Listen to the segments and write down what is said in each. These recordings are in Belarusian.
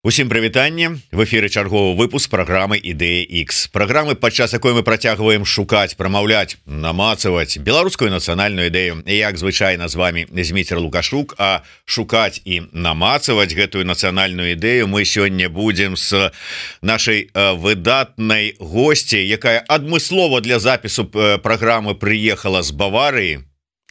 Усім прывітанне, в эфіры чарговы выпуск праграмы Ідэя X. Праграмы, падчас якой мы працягваем шукаць, прамаўляць, намацаваць беларускую нацыянальную ідэю. Як звычайна з вами Зміцер Лукашук, а шукаць і намацаваць гэтую нацыянальную ідэю мы сёння будзем з нашай выдатнай госці, якая адмыслова для запісу праграмы прыехала з Баварыі.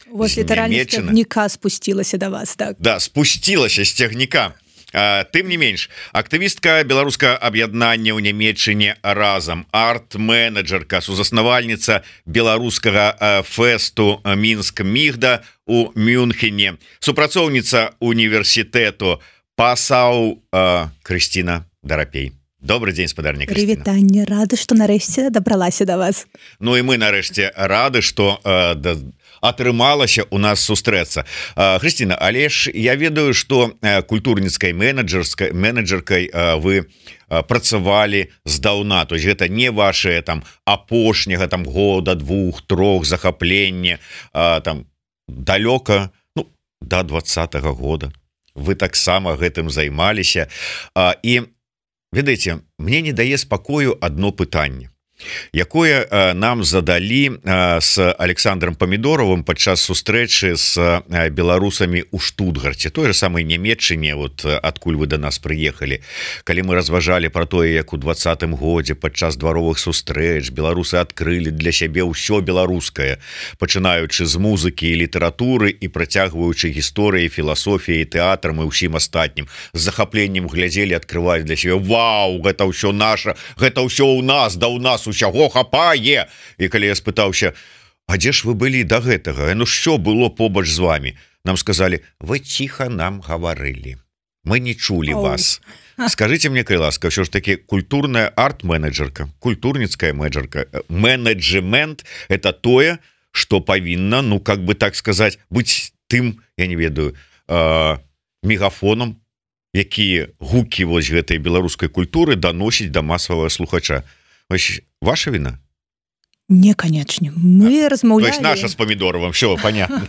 Вот літаральна з цягніка спусцілася да вас, так? Да, спусцілася з цягніка. Тым не менш, актывістка беларускага аб'яднання ў Нямецчыне разам, арт-менеджерка, сузаснавальніца беларускага фэсту Мінск Мігда у Мюнхене, супрацоўніца універсітэту Пасау Крысціна Дарапей. Добрый дзень, спадарня Крысціна. Прывітанне, рады, што нарэшце дабралася да вас. Ну і мы нарэшце рады, што атрымалася у нас сустрэцца. Крысціна, але ж я ведаю, што культурніцкай менеджеркай вы працавалі здаўна, то есть гэта не ваше там апошняга там года, 2-3 захаплення там далёка, ну, до 20-го года. Вы таксама гэтым займаліся. І ведаеце, мне не дае спакою одно пытанне, якое нам задалі с Александром Памідоровым падчас сустрэчы с беларусамі ў Штутгарце, той же самой Нямецчыне, вот адкуль вы до нас прыехалі, калі мы разважалі про тое, як у 20-м годзе падчас дваровых сустрэч беларусы адкрылі для сябе ўсё беларускае, пачынаючы з музыкі і літаратуры і працягваючы гісторыі, філасофіяй, тэатрам і ўсім астатнім, з захапленнем глядзелі, адкрываць для сябе: вау, гэта ўсё наша, гэта ўсё ў нас, да ў нас усяго хапае. І калі я спытаўся: а дзе ж вы былі да гэтага? Ну що было побач з вами? Нам сказали: вы ціха нам гаварылі, мы не чулі вас. Скажите мне, калі ласка, ўсё ж таки культурная арт-менеджерка, культурніцкая менеджмент — это тое, што павінна, ну как бы так сказать, быць тым, я не ведаю, мегафоном, якія гукі вось гэтай беларускай культуры даносіць да масавага слухача. Ваша вина? Не, канечне. Мы размаўлялі... То есть наша з Памідоровым, все, понятно.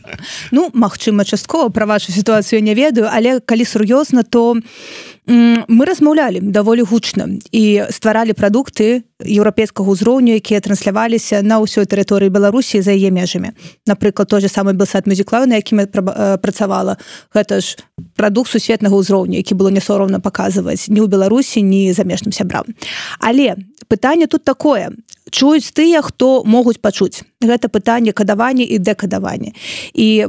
Ну, магчыма, часткова пра вашу сітуацыю не ведаю, але калі сур'ёзна, то мы размаўлялі даволі гучна і стваралі прадукты еўрапейскага ўзроўню, якія трансляваліся на ўсёй тэрыторыі Беларусі за яе межамі. Напрыклад, той же самы Белсад Music Live, на якім я працавала, гэта ж прадукт сусветнага ўзроўню, які было не сорамна паказваць ні ў Беларусі, ні замежным сябрам. Але пытанне тут такое: чуюць тыя, хто могуць пачуць. Гэта пытанне кадавання і дэкадавання. І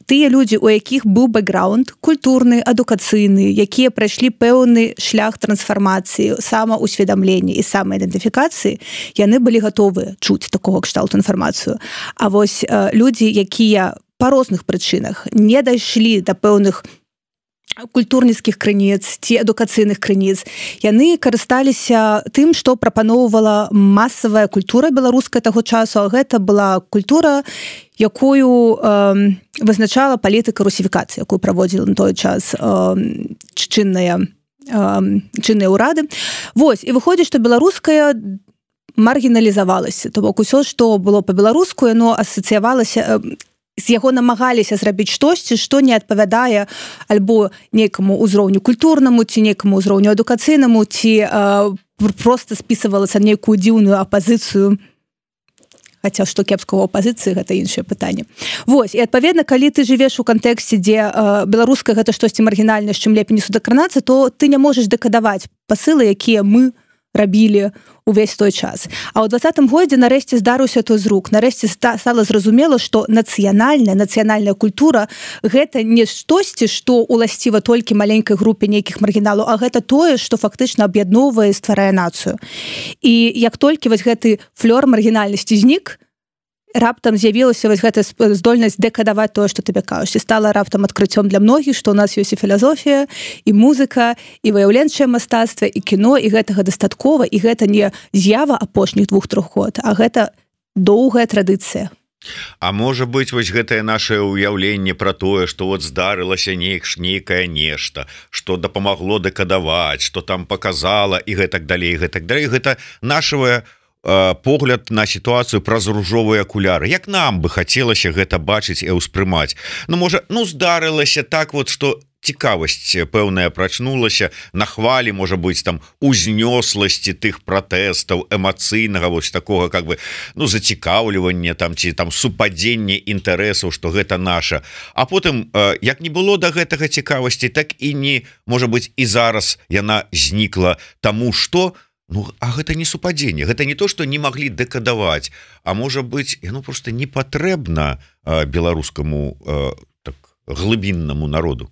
тыя людзі, у якіх быў бэкграунд культурны, адукацыйны, якія прайшлі пэўны шлях трансфармацыі, самаўсведамлення і самаідэнтыфікацыі, яны былі гатовыя чуць такога кшталту інфармацыю. А вось людзі, якія па розных прычынах не дайшлі да пэўных культурніцкіх крыніц ці адукацыйных крыніц, яны карысталіся тым, што прапаноўвала масавая культура беларуская таго часу, а гэта была культура, якую вызначала палітыка русіфікацыі, якую праводзіла на той час чынныя ўрады. Вось, і выходзіць, што беларуская маргіналізавалася, то бок усё, што было па-беларуску, яно асацыявалася, з яго намагаліся зрабіць штосьці, што не адпавядае альбо нейкаму ўзроўню культурнаму, ці нейкаму ўзроўню адукацыйнаму, ці проста спісывалася нейкую дзіўную апазіцыю. Хаця што кепскага апазіцыі, гэта іншае пытанне. Вось, і адпаведна, калі ты жывеш у кантэксце, дзе беларуская гэта штосьці маргінальнае, з чым лепей не судакранацца, то ты не можаш дэкадаваць пасылы, якія мы рабілі увесь той час. А ў 20-м годзе нарэшце здарыўся той зрук. Нарэшце стала зразумела, што нацыянальная культура — гэта не штосьці, што уласціва толькі маленькай групе нейкіх маргіналаў, а гэта тое, што фактычна аб'ядноўвае і стварае нацыю. І як толькі вось гэты флёр маргінальнасці знік, раптам з'явілася вось гэта здольнасць дэкадаваць тое, што табе кажуць. І стала раптам адкрыццём для многіх, што ў нас ёсць і філасофія, і музыка, і выяўленчае мастацтва, і кіно, і гэтага дастаткова, і гэта не з'ява апошніх 2-3 год, а гэта доўгая традыцыя. А можа быць, вось гэтае нашае ўяўленне пра тое, што вот здарылася нейкае нешта, што дапамагло дэкадаваць, што там паказала і гэтак далей, гэта нашае погляд на сітуацыю праз ружовыя акуляры. Як нам бы хацелася гэта бачыць і ўспрымаць? Ну, можа, здарылася так вот, што цікавасць пэўная прачнулася на хвалі, можа быць там узнёсласці тых пратэстаў эмацыйнага вось такога как бы зацікаўлівання там ці там супадзенне інтарэсаў, што гэта наша. А потым як не было да гэтага цікавасці, так і не можа быць і зараз яна знікла, таму што а гэта не супадзенне, гэта не то, што не маглі дэкадаваць, а можа быць яно просто не патрэбна беларускаму так глыбіннаму народу.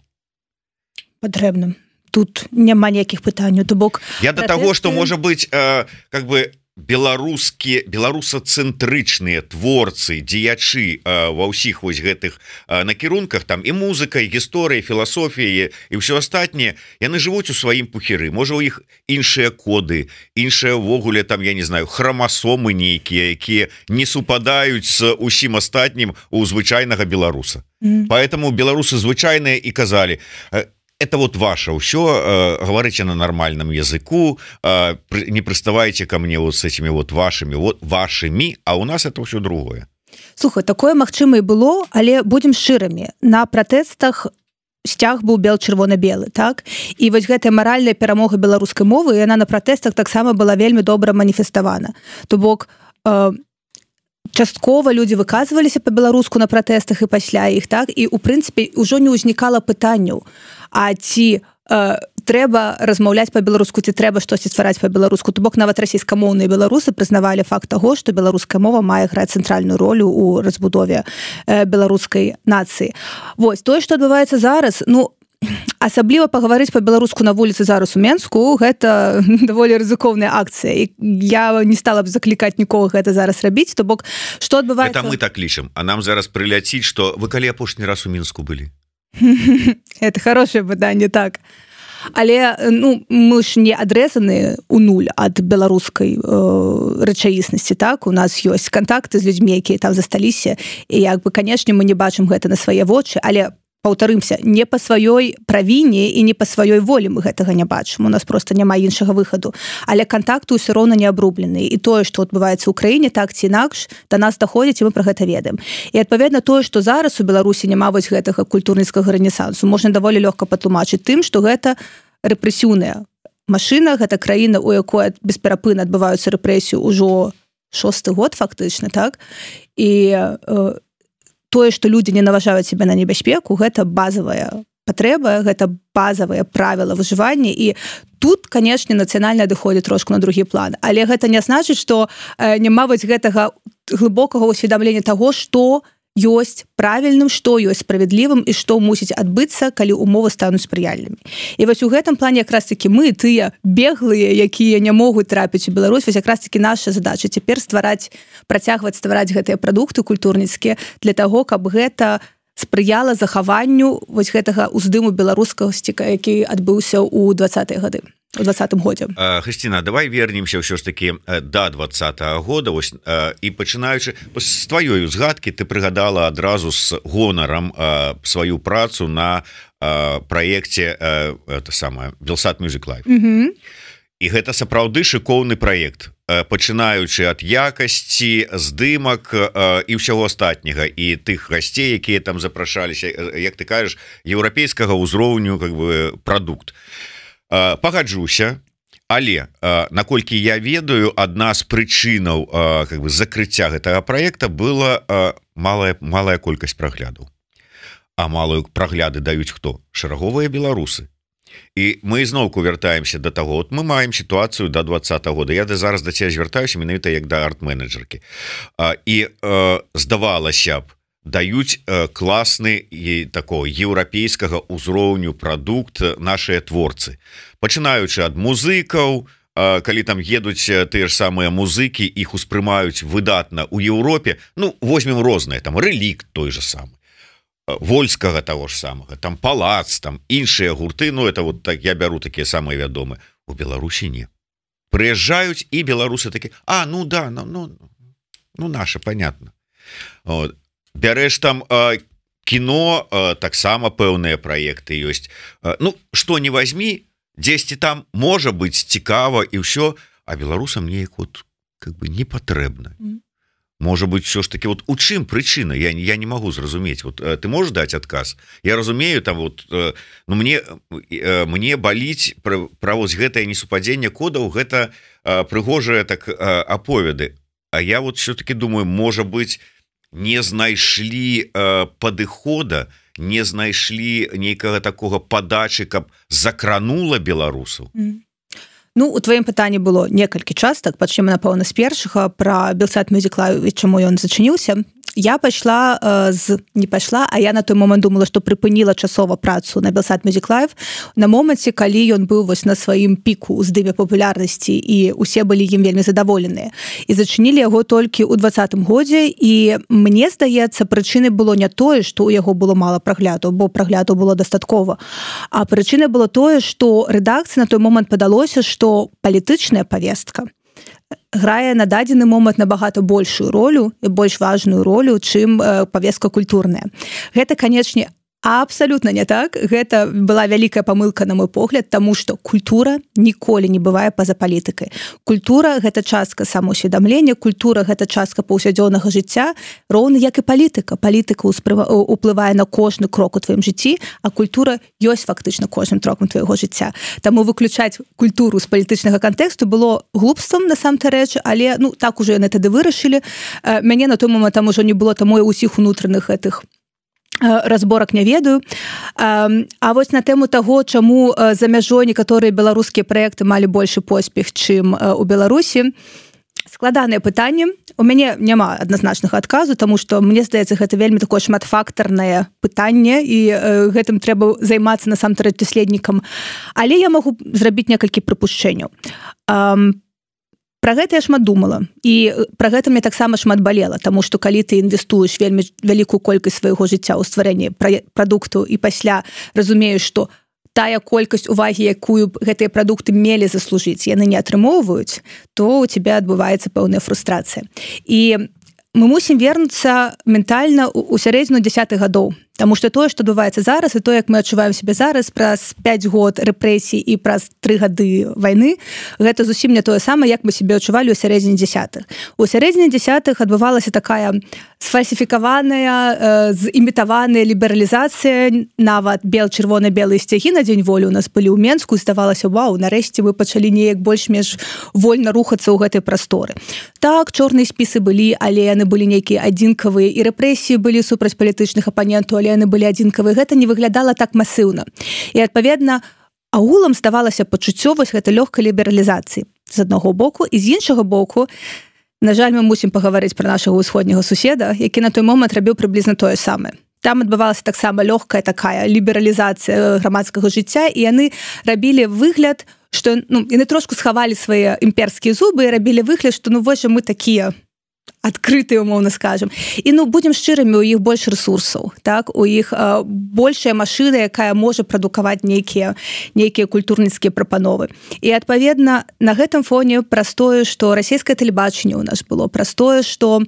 Патрэбна. Тут няма ніякіх пытанняў, то бок я до таго, што можа быць как бы беларусацэнтрычныя творцы, дзеячы ва ўсіх вось гэтых накірунках, там і музыкай, гісторыяй, філасофіяй і ўсё астатняе, яны жывуць у сваім пухіры. Можа, у іх іншыя коды, іншыя ўвогуле там, я не знаю, храмасомы нейкія, якія не супадаюць з усім астатнім у звычайнага беларуса. Поэтому беларусы звычайныя і казалі: это вот ваше ўсё, говорите на нормальном языку, не приставайте ко мне вот с этими вот вашими, а у нас это все другое. Слухай, такое магчыма і было, але будем шчырамі. На пратэстах сцяг быў бел-чырвона-белы, так? І вось гэтая маральная перамога беларускай мовы, яна на пратэстах таксама была вельмі добра маніфеставана. То бок часткова людзі выказваліся па-беларуску на пратэстах і пасля іх, так? І у прынцыпе ўжо не ўзнікала пытанняў, а ці трэба размаўляць па-беларуску, ці трэба штосьці ствараць па-беларуску. То бок нават расійскамоўныя беларусы прызнавалі факт таго, што беларуская мова мае граць цэнтральную ролю ў разбудове беларускай нацыі. Вось, тое, што адбываецца зараз, асабліва пагаварыць па-беларуску на вуліцы зараз у Менску, гэта даволі рызыкоўная акцыя. І я не стала б заклікаць нікога гэта зараз рабіць. То бок, што адбываецца... Это мы так лічым, а нам зараз прыляціць, што вы калі апошні раз у Мінску былі? Это хорошее пытанне, так. Але мы ж не адрэзаны ў нуль ад беларускай рэчаіснасці, так? У нас ёсць кантакты з людзьмі, якія там засталіся, і як бы, канешне, мы не бачым гэта на свае вочы, але паўтарымся, не па сваёй правіне і не па сваёй волі мы гэтага не бачым. У нас просто няма іншага выхаду. Але кантакты ўсё роўна не абрубленыя. І тое, што адбываецца ў краіне, так ці інакш, да нас даходзіць, і мы пра гэта ведаем. І адпаведна тое, што зараз у Беларусі няма вось гэтага культурніцкага рэнесансу, можна даволі лёгка патлумачыць тым, што гэта рэпрэсіўная машына, гэта краіна, у якой бесперапынна адбываюцца рэпрэсіі ўжо 6-й год фактычна, так? І тое, што людзі не наважаюць сябе на небяспеку, гэта базавая патрэба, гэта базавыя правіла выжывання, і тут, канешне, нацыянальна адыходзіць трошку на другі план. Але гэта не значыць, што няма вось гэтага глыбокага ўсведамлення таго, што ёсць правільным, што ёсць справядлівым і што мусіць адбыцца, калі ўмовы стануць спрыяльнымі. І вось у гэтым плане якраз такі мы, тыя беглыя, якія не могуць трапіць у Беларусь, вось якраз такі наша задача цяпер працягваць ствараць гэтыя прадукты культурніцкія для таго, каб гэта спрыяла захаванню вось гэтага ўздыму беларускасці, які адбыўся ў 20-е гады. У 20-м годзе. Хрысціна, давай вернемся ўсё ж такі да 20-го года, вось, і пачынаючы з тваёй узгадкі, ты прыгадала адразу з гонарам сваю працу на праекце Белсат Music Live. І гэта сапраўды шыкоўны праект, пачынаючы ад якасці, здымак і ўсяго астатняга, і тых гасцей, якія там запрашаліся, як ты кажаш, еўрапейскага ўзроўню как бы прадукт. Пагаджуся, але наколькі я ведаю, адна з прычынаў как бы закрыцця гэтага праекта была малая колькасць праглядаў. А малую прагляды даюць хто? Шараговыя беларусы. І мы зноўку вяртаемся да таго, от мы маем сітуацыю да 20-го года. Я зараз да цябе звяртаюся менавіта як да арт-менеджеркі. І здавалася б, даюць класны і такого еўрапейскага ўзроўню прадукт нашыя творцы. Пачынаючы ад музыкаў, калі там едуць тыя ж самыя музыкі, іх успрымаюць выдатна ў Еўропе, возьмем розныя, там Рэлікт той же самы, Вольскага таго ж самага, там Палац, там іншыя гурты, это вот так я бяру такія самыя вядомыя. У Беларусі не. Прыязджаюць і беларусы такі: наша, понятно. Вот. Бярэш там кіно, таксама пэўныя праекты ёсць. Што не возьми, дзесьці там можа быць цікава і ўсё, а беларусам неяк вот как бы не патрэбна. Может быть, все ж таки вот у чым причина, я не могу зразумець. Вот ты можешь дать отказ? Я разумею, там вот ну, мне баліць пра вось гэтае несупадзенне кодаў, гэта прыгожыя так аповеды. А я вот все-таки думаю, может быть, не знайшлі падыхода, не знайшлі нейкага такога падачы, каб закранула беларусаў. Ну, у тваім пытанні было некалькі частак, пачнем, напэўна, з першага пра Белсат Music Live і чаму ён зачыніўся. Я я на той момант думала, што прыпыніла часова працу на Белсат Music Live на моманце, калі ён быў вось на сваім піку ўздыме папулярнасці і усе былі ім вельмі задаволеныя. І зачынілі яго толькі ў 2020 годзе, і мне здаецца, прычынай было не тое, што ў яго было мала прагляду, бо прагляду было дастаткова, а прычынай было тое, што рэдакцыі на той момант падалося, што палітычная павестка грае на дадзены момант набагата большую ролю і больш важную ролю, чым павестка культурная. Гэта, канечне, абсолютно не так. Гэта была вялікая памылка, на мой погляд, таму што культура ніколі не бывае па-за палітыкай. Культура — гэта частка самаўсведамлення, культура — гэта частка паўсядзённага жыцця, роўна як і палітыка. Палітыка ўплывае на кожны крок у тваім жыцці, а культура ёсць фактычна кожным крокам твайго жыцця. Таму выключаць культуру з палітычнага кантэксту было глупствам, насамрэч рэч, але ну так ужо яны тады вырашылі. Мяне на той момант там ужо не было, таму і ўсіх унутраных гэтых разборак не ведаю. А вось на тэму таго, чаму за мяжой некаторыя беларускія праекты малі большы поспех, чым у Беларусі, складанае пытанне. У мяне няма адназначнага адказу, таму што мне здаецца, гэта вельмі такое шматфактарнае пытанне, і гэтым трэба займацца насамрэч даследнікам. Але я магу зрабіць некалькі прыпушчэнняў. Пра гэта я шмат думала, і пра гэта мне таксама шмат балела, таму што калі ты інвестуеш вельмі вялікую колькасць свайго жыцця ў стварэнне прадукту і пасля разумееш, што тая колькасць увагі, якую гэтыя прадукты мелі заслужыць, яны не атрымоўваюць, то у тебя адбываецца пэўная фрустрацыя. І мы мусім вернуцца ментальна ў сярэдзіну 10-х гадоў. Таму што тое, што адбываецца зараз, і тое, як мы адчуваем сябе зараз, праз 5 год рэпрэсій і праз 3 гады вайны, гэта зусім не тое самае, як мы сябе адчувалі ў сярэдзіне 10-х. У сярэдзіне 10-х адбывалася такая сфальсіфікаваная, зімітаваная лібералізацыя, нават чырвона-белыя сцягі на дзень волі у нас былі ў Менску, і здавалася, вау, нарэшце вы пачалі неяк больш-менш вольна рухацца ў гэтай прасторы. Так, чорныя спісы былі, але яны былі нейкія адзінкавыя, і рэпрэсіі былі супраць палітычных апанентаў, але яны былі адзінкавыя. Гэта не выглядала так масыўна. І, адпаведна, агулам ставалася пачуццё вось гэтай лёгкай лібералізацыі з аднаго боку, і з іншага боку, на жаль, мы мусім пагаварыць пра нашага ўсходняга суседа, які на той момант рабіў прыблізна тое самае. Там адбывалася таксама лёгкая такая лібералізацыя грамадскага жыцця, і яны рабілі выгляд, што яны трошку схавалі свае імперскія зубы і рабілі выгляд, што вось мы такія адкрытыя, умоўна скажем. І будзем шчырымі, у іх больш рэсурсаў, так? У іх большая машына, якая можа прадукаваць нейкія культурніцкія прапановы. І, адпаведна, на гэтым фоне праз тое, што расійскае тэлебачанне ў нас было, праз тое, што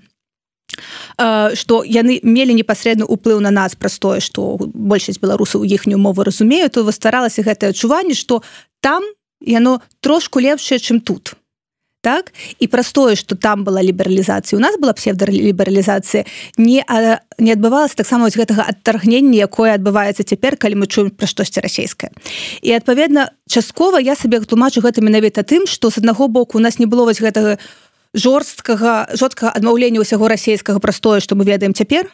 яны мелі непасрэдны ўплыў на нас, праз тое, што большасць беларусаў іхнюю мову разумеюць, то стваралася гэтае адчуванне, што там яно трошку лепшае, чым тут. Так? І праз тое, што там была лібералізацыя, у нас была псевдалібералізацыя, не адбывалася таксама вось гэтага адтаргнення, якое адбываецца цяпер, калі мы чуем пра штосьці расейскае. І, адпаведна, часткова я сабе тлумачу гэта менавіта тым, што з аднаго боку у нас не было вось гэтага жорсткага адмаўлення ўсяго расейскага праз тое, што мы ведаем цяпер,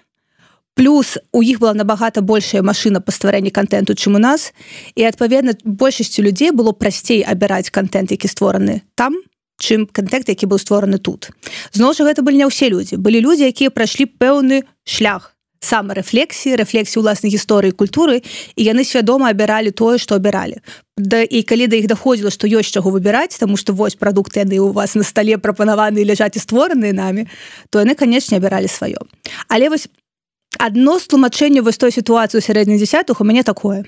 плюс у іх была набагата большая машына па стварэнні кантэнту, чым у нас, і, адпаведна, большасцю людзей было прасцей абіраць кантэнт, які створаны там, чым кантэнт, які быў створаны тут. Зноў жа, гэта былі не ўсе людзі. Былі людзі, якія прайшлі пэўны шлях самарэфлексіі, рэфлексіі ўласнай гісторыі і культуры, і яны свядома абіралі тое, што абіралі. І калі да іх даходзіла, што ёсць чаго выбіраць, таму што вось прадукты яны ў вас на стале прапанаваны і ляжаць і створаныя намі, то яны, канечне, абіралі сваё. Але вось адно з тлумачэнняў вось той сітуацыі ў сярэдзіне 10-х у мяне такое.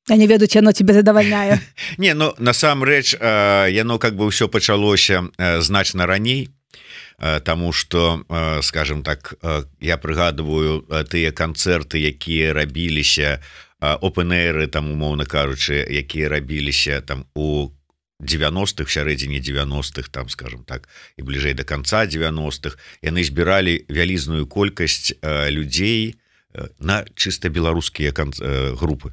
Я не ведаю, ці яно тебе задавальняе. Не, насамрэч, яно как бы ўсё пачалося значна раней, таму што, скажем так, я прыгадываю тыя канцэрты, якія рабіліся, опен-эйры, там, умоўна кажучы, якія рабіліся там у 90-х, сярэдзіне 90-х, там, скажем так, і бліжэй до конца 90-х, яны збіралі вялізную колькасць людзей на чыста беларускія групы.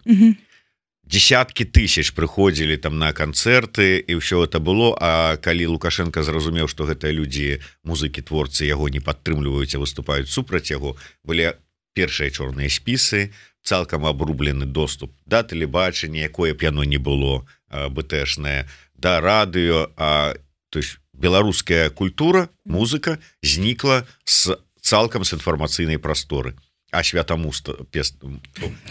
Десяткі тысяч прыходзілі там на канцэрты, і ўсё это было. А калі Лукашенко зразумеў, што гэтыя людзі, музыкі, творцы яго не падтрымліваюць, а выступаюць супраць яго, былі першыя чорныя спісы, цалкам абрублены доступ да тэлебачання, якое б яно не было БТшнае, да радыё, то есть беларуская культура, музыка знікла цалкам з інфармацыйнай прасторы. А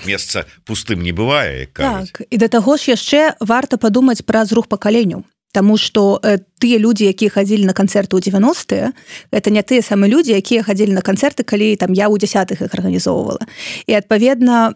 месца пустым не бывае, як кажуць. Так, і да таго ж яшчэ варта падумаць пра зрух пакаленняў. Таму што тыя людзі, якія хадзілі на канцэрты ў 90-е, гэта не тыя самыя людзі, якія хадзілі на канцэрты, калі там я ў 10-х іх арганізоўвала. І адпаведна,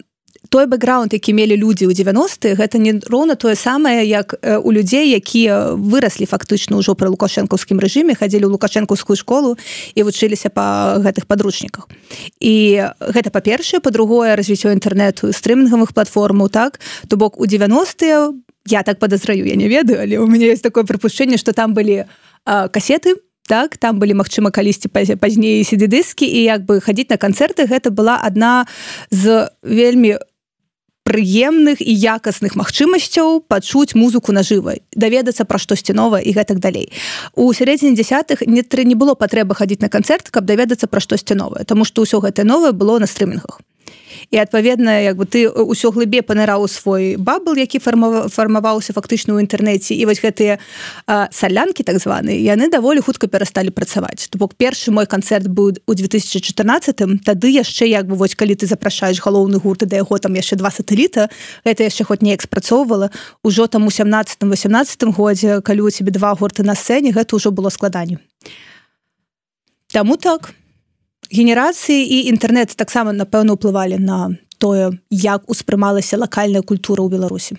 той бэкграунд, які мелі людзі ў 90-е, гэта не роўна тое самае, як у людзей, якія выраслі фактычна ўжо пры лукашэнкаўскім рэжыме, хадзілі ў лукашэнкаўскую школу і вучыліся па гэтых падручніках. І гэта па-першае, па-другое, развіццё інтэрнэту, стрымінгавых платформаў, так? То бок у 90-е, я так падазраю, я не ведаю, але у мяне ёсць такое прыпушчэнне, што там былі касеты, так, там былі, магчыма, калісьці пазней CD-дыскі, і як бы хадзіць на канцэрты, гэта была адна з вельмі прыемных і якасных магчымасцяў пачуць музыку нажыва, даведацца пра штосьці новае і гэтак далей. У сярэдзіне 10-х не было патрэбы хадзіць на канцэрт, каб даведацца пра штосьці новае, таму што ўсё гэтае новае было на стрымінгах. І адпаведна, як бы ты ўсё глыбей паныраў у свой бабл, які фармаваўся фактычна ў інтэрнэце, і вось гэтыя салянкі так званыя, яны даволі хутка перасталі працаваць. То бок першы мой канцэрт быў у 2014-м, тады яшчэ як бы вось калі ты запрашаеш галоўны гурт, да яго там яшчэ 2 сатэліта, гэта яшчэ хоць неяк спрацоўвала. Ужо там у 17-18 годзе, калі у цябе 2 гурты на сцэне, гэта ўжо было складаней. Таму так. Генерацыі і інтэрнэт таксама, напэўна, ўплывалі на тое, як успрымалася лакальная культура ў Беларусі.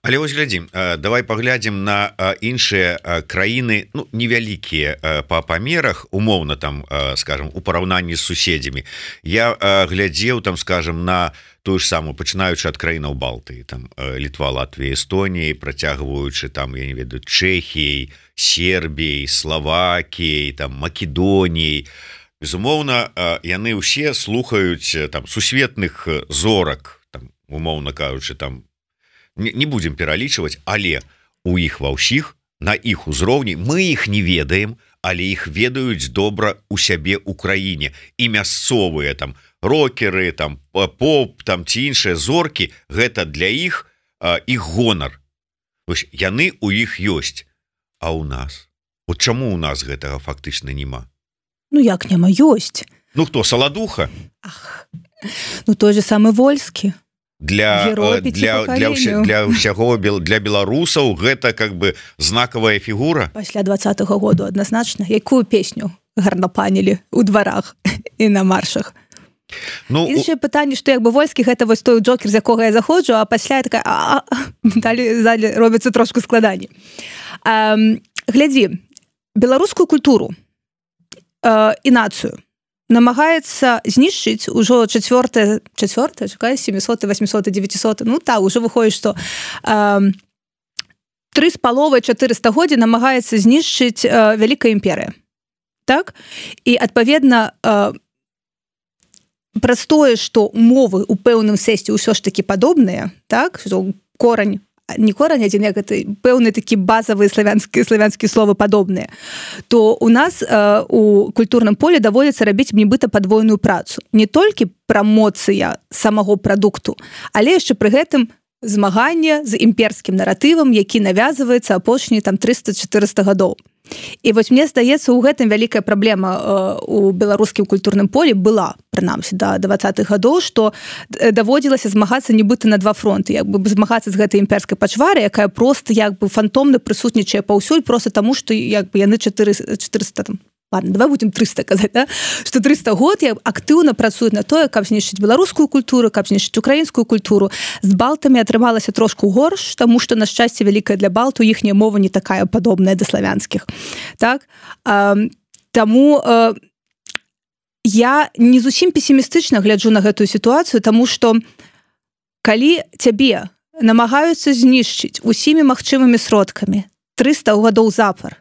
Але вось глядзім, давай паглядзім на іншыя краіны, ну, невялікія па памерах, умоўна там, скажем, у параўнанні з суседзямі. Я глядзеў там, скажем, на тую ж самую, пачынаючы ад краінаў Балтыі, там Літва, Латвія, Эстонія, працягваючы там, я не ведаю, Чэхіяй, Сербіяй, Славакіяй, там Македоніяй. Безумоўна, яны ўсе слухаюць там сусветных зорак, там, умоўна кажучы, там не будзем пералічваць, але у іх ва ўсіх, на іх узроўні, мы іх не ведаем, але іх ведаюць добра у сябе ў краіне. І мясцовыя там рокеры, там поп, там ці іншыя зоркі, гэта для іх іх гонар. Вось яны у іх ёсць. А ў нас? От чаму ў нас гэтага фактычна няма? Ну, як няма, ёсць. Ну, хто, Саладуха? Ах, ну, той же самы Вольскі. Для беларусаў гэта как бы знакавая фігура. Пасля 20-го году адназначна. Якую песню гарнапанілі ў дварах і на маршах? Ну, іншае пытанне, што як бы Вольскі гэта вось той джокер, з якога я заходжу, а пасля я такая, далі робіцца трошку складаней. Глядзі, беларускую культуру і нацыю намагаецца знішчыць ужо 700, 800, 900, ну так, уже выходзіць, што 3,5-4 стагоддзя намагаецца знішчыць вялікая імперыя. Так? І адпаведна праз тое, што умовы ў пэўным сэнсе ўсё ж такі падобныя, так? Корань, не корань адзін, як гэта пэўныя такі базавыя славянскія словы падобныя, то у нас у культурным полі даводзіцца рабіць нібыта падвойную працу. Не толькі прамоцыя самого прадукту, але яшчэ пры гэтым змаганне з імперскім наратывам, які навязваецца апошнія там 300-400 гадоў. І вось мне здаецца, у гэтым вялікая праблема у беларускім культурным полі была, прынамсі, да 20-х гадоў, што даводзілася змагацца нібыта на 2 фронты, як бы змагацца з гэтай імперскай пачварай, якая проста як бы фантомна прысутнічае паўсюль, проста таму, што як бы яны 400 там, ладно, давай будем 300 казаць, да? Што 300 год актыўна працуюць на тое, каб знішчыць беларускую культуру, каб знішчыць украінскую культуру. З балтамі атрымалася трошку горш, таму што, на шчасце вялікае для балту, іхняя мова не такая падобная да славянскіх. Так? Таму я не зусім песімістычна гляджу на гэтую сітуацыю, таму што калі цябе намагаюцца знішчыць усімі магчымымі сродкамі, 300 гадоў запар,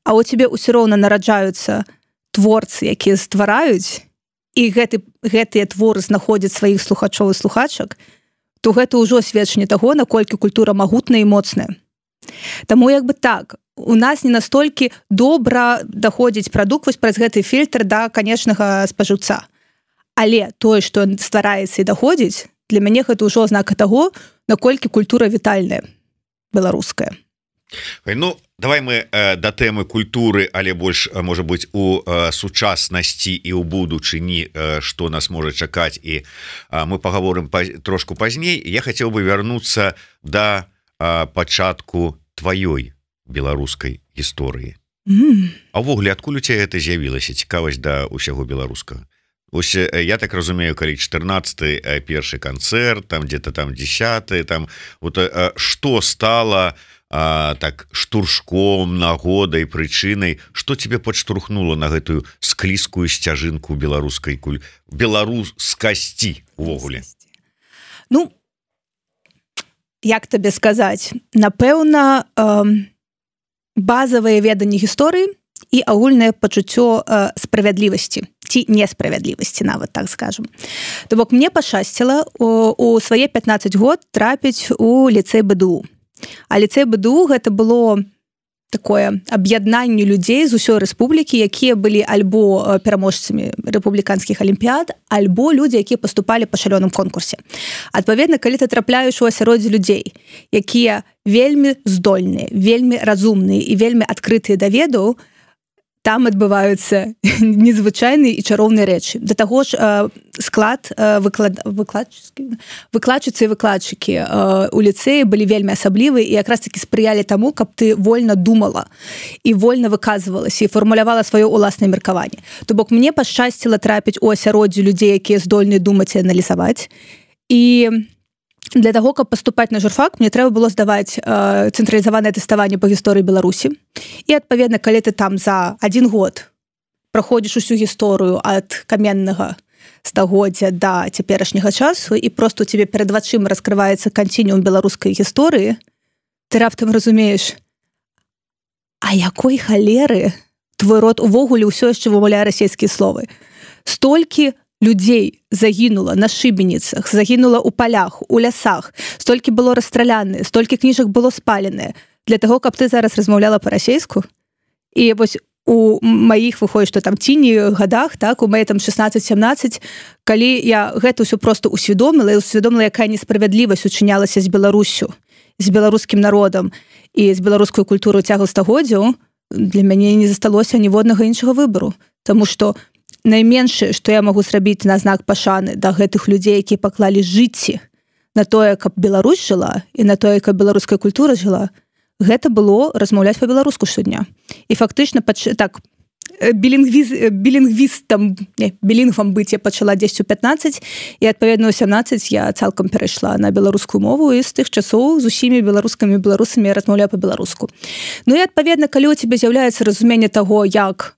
а у цябе ўсё роўна нараджаюцца творцы, якія ствараюць, і гэтыя творы знаходзяць сваіх слухачоў і слухачак, то гэта ўжо сведчанне таго, наколькі культура магутная і моцная. Таму як бы так, у нас не настолькі добра даходзіць прадукт вось праз гэты фільтр да канечнага спажыўца. Але тое, што ствараецца і даходзіць, для мяне гэта ўжо азнака таго, наколькі культура вітальная, беларуская. Ну, давай мы да тэмы культуры, але больш, можа быць, у сучаснасці і ў будучыні, што нас можа чакаць, і мы пагаворым трошку пазней. Я хацеў бы вярнуцца да пачатку тваёй беларускай гісторыі. А ўвогуле, адкуль у цябе гэта з'явілася цікавасць да ўсяго беларускага? Ось я так разумею, калі 14-й першы канцэрт, там где-то там 10-й, там вот што стала так штуршком, нагодай, прычынай, што тебе падштурхнула на гэтую склізкую сцяжынку беларускасці увогуле? Ну, як табе сказаць, напэўна, базавыя веданні гісторыі і агульнае пачуццё справядлівасці ці несправядлівасці, нават так скажем. То бок мне пашчасціла у свае 15 год трапіць у ліцэй БДУ. А ліцэй БДУ гэта было такое аб'яднанне людзей з усёй рэспублікі, якія былі альбо пераможцамі рэпубліканскіх алімпіяд, альбо людзі, якія паступалі па шалёным конкурсе. Адпаведна, калі ты трапляеш у асяроддзе людзей, якія вельмі здольныя, вельмі разумныя і вельмі адкрытыя да ведаў, там адбываюцца незвычайныя і чароўныя рэчы. Да таго ж склад выкладчыцы і выкладчыкі у ліцэі былі вельмі асаблівыя і якраз такі спрыялі таму, каб ты вольна думала і вольна выказвалася і фармулявала сваё ўласнае меркаванне. То бок мне пашчасціла трапіць у асяроддзе людзей, якія здольныя думаць і аналізаваць. І для таго, каб паступаць на журфак, мне трэба было здаваць цэнтралізаванае тэставанне па гісторыі Беларусі. І, адпаведна, калі ты там за 1 год праходзіш усю гісторыю ад каменнага стагоддзя да цяперашняга часу і проста у цябе перад вачыма раскрываецца канцінуум беларускай гісторыі, ты раптам разумееш, а якой халеры твой род увогуле ўсё яшчэ вымаўляе расейскія словы. Столькі людзей загінула на шыбеніцах, загінула ў палях, у лясах, столькі было расстраляныя, столькі кніжак было спаленыя для таго, каб ты зараз размаўляла па-расейску. І вось у маіх выходзіць, што там ціні гадах, так, у маі там 16-17, калі я гэта ўсё проста усвядоміла, і усвядоміла, якая несправядлівасць учынялася з Беларуссю, з беларускім народам і з беларускую культуру цягам стагоддзяў, для мяне не засталося ніводнага іншага выбару. Таму што найменшае, што я магу зрабіць на знак пашаны да гэтых людзей, якія паклалі жыцці на тое, каб Беларусь жыла і на тое, каб беларуская культура жыла, гэта было размаўляць па-беларуску штодня. І фактычна так білінгвам быць я пачала 10 у 15, і адпаведна у 17 я цалкам перайшла на беларускую мову, і з тых часоў з усімі беларускамі і беларусамі я размаўляю па-беларуску. Ну і адпаведна, калі у цябе з'яўляецца разуменне таго, як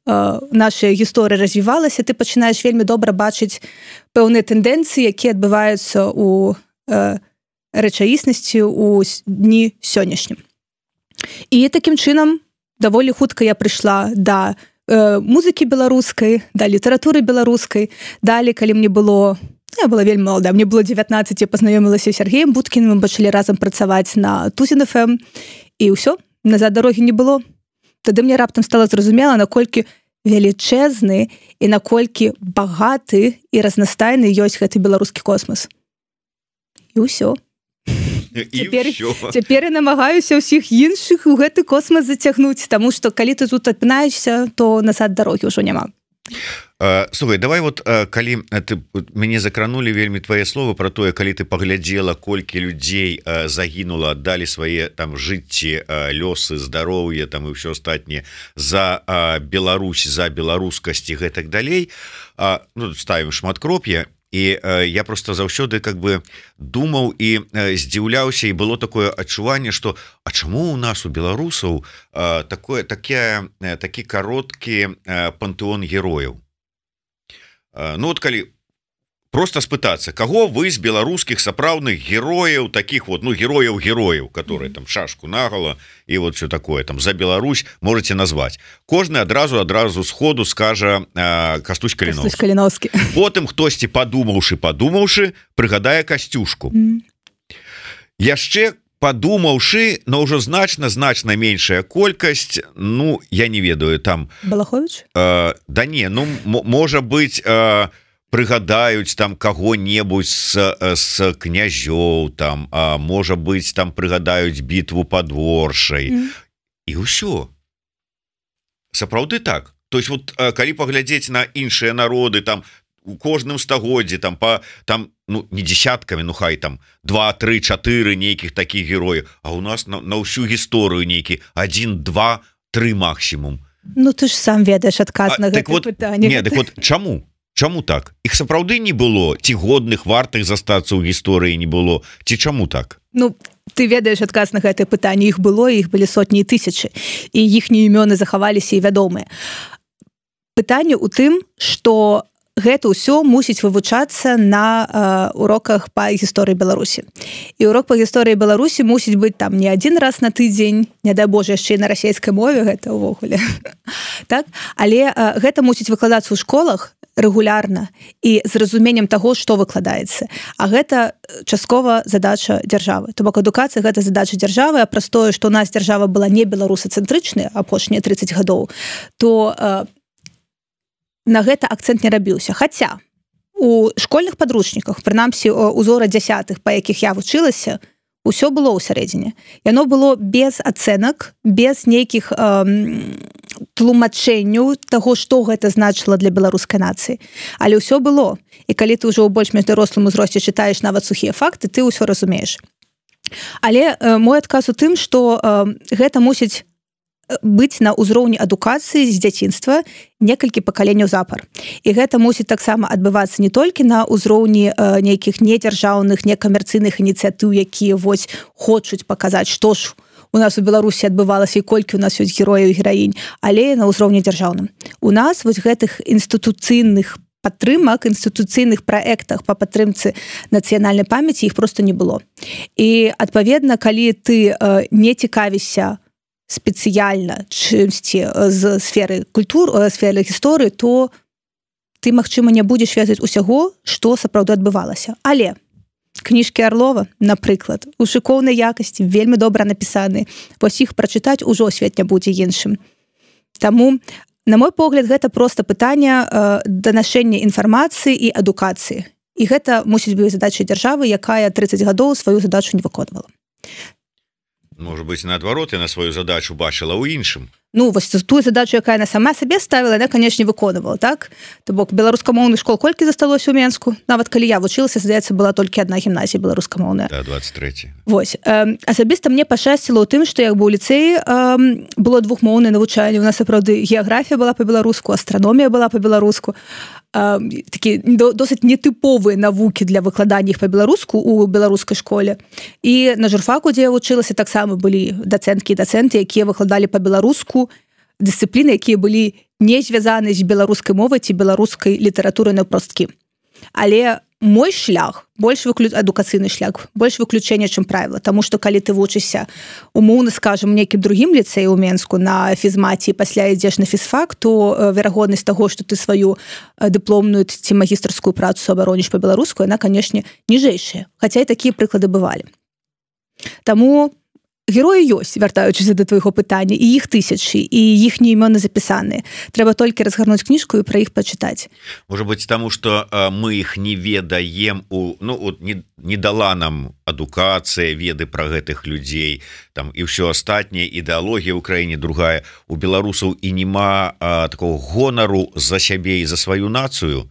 наша гісторыя развівалася, ты пачынаеш вельмі добра бачыць пэўныя тэндэнцыі, якія адбываюцца у рэчаіснасці ў дні сённяшнім. І такім чынам даволі хутка я прыйшла да музыкі беларускай, да літаратуры беларускай. Далі, калі мне было, я была вельмі малада, мне было 19, я пазнаёмілася з Сергеем Будкіным, мы пачалі разам працаваць на Тузін ФМ, і ўсё, назад дарогі не было. Тады мне раптам стала зразумела, наколькі велічэзны і наколькі багаты і разнастайны ёсць гэты беларускі космас. І ўсё. Цяпер я намагаюся ўсіх іншых у гэты космас зацягнуць, таму што калі ты тут апінаешся, то назад дарогі ўжо няма. Слухай, давай вот калі мяне закранулі вельмі твае словы про тое, калі ты паглядзела, колькі людзей загінула, аддалі свае там жыцці, лёсы, здароўе там і ўсё астатняе за Беларусь, за беларускасць і гэтак далей, ну, ставім шматкроп'е. І я просто заўсёды как бы думаў і здзіўляўся, і было такое адчуванне, што а чаму у нас у беларусаў такі кароткі пантэон герояў? Ну вот калі просто спытацца, каго вы з беларускіх сапраўдных герояў, таких вот, ну, герояў, которые там шашку наголо і вот все такое там за Беларусь можете назвать. Кожны адразу сходу скажа Кастусь Каліновскі. Потым хтосьці падумаўшы прыгадае Касцюшку. Яшчэ падумаўшы, но ўжо значна меншая колькасць, ну, я не ведаю, там Балахович? Да не, ну, можа быть, прыгадаюць там каго-небудзь з князёў, там, можа быць, там прыгадаюць бітву пад Оршай. І ўсё. Сапраўды так. То есть вот калі паглядзець на іншыя народы, там у кожным стагоддзі там там, ну, не десяткамі, ну хай там 2, 3, 4 нейкіх такіх герояў, а у нас на ўсю гісторыю нейкі 1, 2, 3 максімум. Ну ты ж сам ведаеш адказ на гэта пытанне. Не, так вот чаму так? Іх сапраўды не было, ці годных вартых застацца ў гісторыі не было, ці чаму так? Ну, ты ведаеш адказ на гэтае пытанне, іх было, іх былі сотні і тысячы, і іхнія імёны захаваліся і вядомыя. Пытанне ў тым, што гэта ўсё мусіць вывучацца на уроках па гісторыі Беларусі. І урок па гісторыі Беларусі мусіць быць там не один раз на тыдзень, не дай Боже, яшчэ і на расійскай мове, гэта ўвогуле. Так? Але гэта мусіць выкладацца ў школах рэгулярна і з разуменнем таго, што выкладаецца. А гэта часткова задача дзяржавы. То бок адукацыя гэта задача дзяржавы, а праз тое, што ў нас дзяржава была не беларусацэнтрычная апошнія 30 гадоў, то на гэта акцэнт не рабіўся. Хаця у школьных падручніках, прынамсі узора 10-х, па якіх я вучылася, усё было ў сярэдзіне. Яно было без ацэнак, без нейкіх тлумачэнняў таго, што гэта значыла для беларускай нацыі. Але ўсё было. І калі ты ўжо ў больш-менш дарослым узросце чытаеш нават сухія факты, ты ўсё разумееш. Але мой адказ у тым, што гэта мусіць быць на ўзроўні адукацыі з дзяцінства некалькі пакаленняў запар. І гэта мусіць таксама адбывацца не толькі на ўзроўні нейкіх недзяржаўных, некамерцыйных ініцыятыў, якія вось хочуць паказаць, што ж у нас у Беларусі адбывалася і колькі у нас ёсць герояў і гераінь, але на ўзроўні дзяржаўным. У нас вось гэтых інстытуцыйных падтрымак, інстытуцыйных праектах па падтрымцы нацыянальнай памяці іх проста не было. І, адпаведна, калі ты не цікавішся спецыяльна чымсьці з сферы сферы гісторыі, то ты, магчыма, не будзеш ведаць усяго, што сапраўды адбывалася. Але кніжкі Арлова, напрыклад, у шыкоўнай якасці, вельмі добра напісаны, вось іх прачытаць ужо свет не будзе іншым. Таму, на мой погляд, гэта проста пытанне данашэння інфармацыі і адукацыі. І гэта мусіць быць задачай дзяржавы, якая 30 гадоў сваю задачу не выконвала. Может быть, наадварот, я на сваю задачу бачыла ў іншым. Ну, вось тую задачу, якая на сама сабе ставіла, яна, канешне, выконвала, так? То бок, беларускамоўных школ колькі засталося ў Менску? Нават калі я вучылася, здаецца, была толькі адна гімназія беларускамоўная. Да, 23. Вось. Асабіста мне пашчасціла ў тым, што як бы ў ліцэі было двухмоўнае навучанне. У нас, сапраўды, геаграфія была па-беларуску, астраномія была па-беларуску. Такі досыць нетыповыя навукі для выкладання іх па-беларуску ў беларускай школе. І на журфаку, дзе я вучылася, таксама былі дацэнткі і дацэнты, якія выкладалі па-беларуску дысцыпліны, якія былі не звязаны з беларускай мовай ці беларускай літаратурай напросткі. Але мой шлях, адукацыйны шлях, больш выключэнне, чым правіла. Таму што калі ты вучышся, умоўна скажам, нейкім другім ліцэі ў Менску на фізмаце і пасля ідзеш на фізфак, то верагоднасць таго, што ты сваю дыпломную ці магістарскую працу абароніш па-беларуску, яна, канешне, ніжэйшая. Хаця і такія прыклады бывалі. Таму героі ёсць, вяртаючыся да твайго пытання, і іх тысячы, і іхнія імёны запісаныя. Трэба толькі разгарнуць кніжку і пра іх пачытаць. Может быть, таму што мы іх не ведаем, не дала нам адукацыя, веды пра гэтых людзей, там і ўсё астатняе, ідэалогія ў краіне другая. У беларусаў і няма такого гонару за сябе і за сваю нацыю.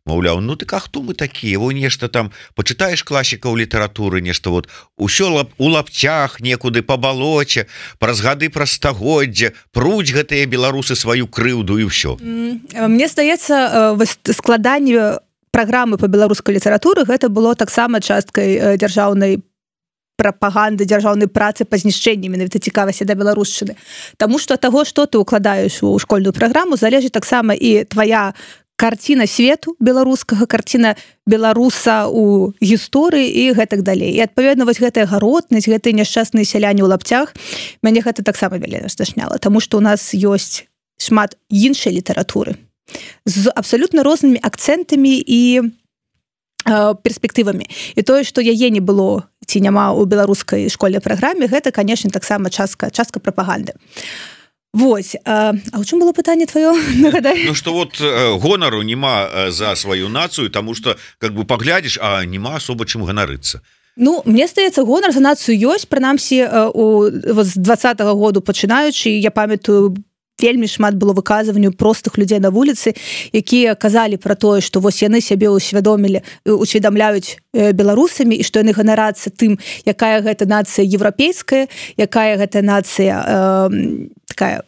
Маўляў, ну так а хто мы такія? Во нешта там пачытаеш класікаў літаратуры, нешта вот усё у лапцях некуды па балоце, праз гады, праз стагоддзя пруць гэтыя беларусы сваю крыўду і ўсё. Мне здаецца, складанне праграмы па беларускай літаратуры гэта было таксама часткай дзяржаўнай прапаганды, дзяржаўнай працы па знішчэнні менавіта цікавасці да беларушчыны. Таму што ад таго, што ты ўкладаеш у школьную праграму, залежыць таксама і твая карціна свету беларускага, карціна беларуса ў гісторыі і гэтак далей. І адпаведна вось гэтая гаротнасць, гэтыя няшчасныя сяляне ў лапцях, мяне гэта таксама вельмі здашняла, таму што ў нас ёсць шмат іншай літаратуры з абсалютна рознымі акцэнтамі і перспектывамі. І тое, што яе не было ці няма ў беларускай школьнай праграме, гэта, канешне, таксама частка прапаганды. Вось, а ў чым было пытанне твоё? Нагадай. Ну что вот гонару нема за сваю нацыю, тому что как бы паглядзіш, а нема особо чым ганарыцца. Ну, мне здаецца, гонар за нацыю ёсць, прынамсі з 20-го году пачынаючы, я памятаю, вельмі шмат было выказванняў простых людзей на вуліцы, якія казалі пра тое, што вось яны сябе усведамляюць беларусамі і што яны ганарацца тым, якая гэта нацыя еўрапейская, якая гэта нацыя такая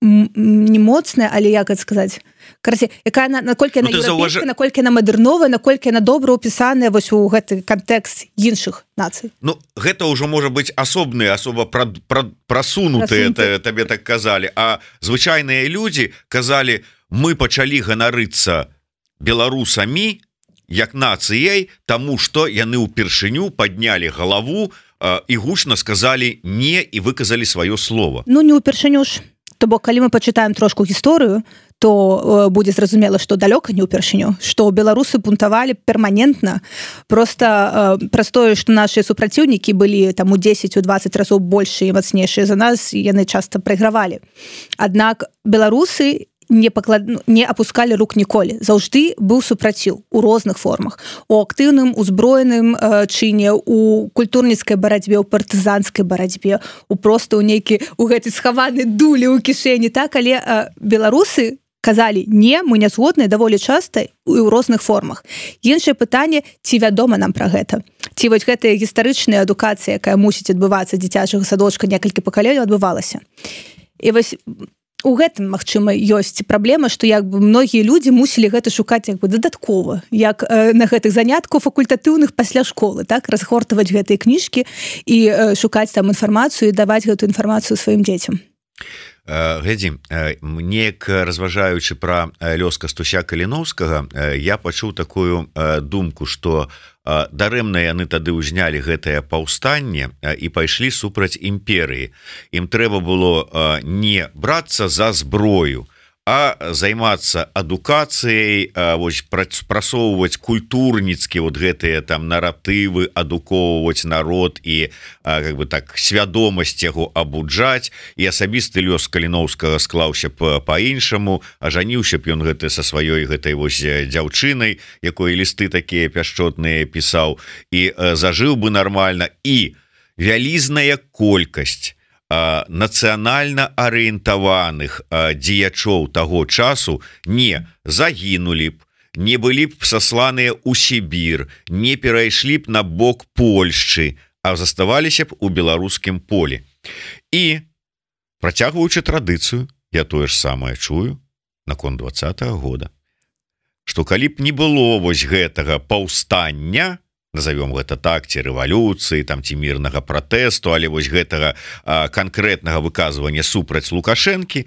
не моцная, але як гэта сказаць, якая наколькі яна еўрапейская, наколькі яна мадэрновая, наколькі яна добра ўпісаная вось у гэты кантэкст іншых нацый. Ну, гэта ўжо можа быць асобныя, асоба прасунутыя, табе так казалі, а звычайныя людзі казалі, мы пачалі ганарыцца беларусамі як нацыяй, таму што яны ўпершыню паднялі галаву і гучна сказалі не і выказалі сваё слово. Ну, не ўпершыню ж. То бок, калі мы пачытаем трошку гісторыю, то будзе зразумела, што далёка не ўпершыню, што беларусы бунтавалі перманентна, просто праз тое, што нашыя супраціўнікі былі там у 10-20 разоў большыя і мацнейшыя за нас, яны часта прайгравалі. Аднак беларусы не апускалі рук ніколі. Заўжды быў супраціў у розных формах. У актыўным, узброеным чыне, у культурніцкай барацьбе, у партызанскай барацьбе, у гэтай схаванай дулі ў кішэні, так, але беларусы казалі не, мы не згодныя даволі часта і ў розных формах. Іншае пытанне, ці вядома нам пра гэта? Ці вось гэтая гістарычная адукацыя, якая мусіць адбывацца дзіцячага садочка некалькі пакаленняў, адбывалася. І вось у гэтым, магчыма, ёсць праблема, што як бы многія людзі мусілі гэта шукаць як бы дадаткова, як на гэтых занятках факультатыўных пасля школы, так, разгортаваць гэтыя кніжкі і шукаць там інфармацыю і даваць гэтую інфармацыю сваім дзецям. Глядзі, неяк разважаючы пра лёс Кастуся Каліноўскага, я пачуў такую думку, што дарэмна яны тады ўзнялі гэтае паўстанне і пайшлі супраць імперыі. Ім трэба было не брацца за зброю, а займацца адукацыяй, прасоўваць культурніцкі вот гэтыя там наратывы, адукоўваць народ і как бы так свядомасць яго абуджаць. І асабісты лёс Каліноўскага склаўся па-іншаму, ажаніўся б ён гэты са сваёй гэтай вось дзяўчынай, якой лісты такія пяшчотныя пісаў, і зажыў бы нармальна. І вялізная колькасць нацыянальна арыентаваных дзеячоў таго часу не загінулі б, не былі б сасланыя ў Сібір, не перайшлі б на бок Польшчы, а заставаліся б у беларускім полі. І, працягваючы традыцыю, я тое ж самае чую наконт 20-го года, што калі б не было вось гэтага паўстання, назовем гэта так, ці рэвалюцыі, там, ці мірнага пратэсту, але вось гэтага канкрэтнага выказвання супраць Лукашэнкі,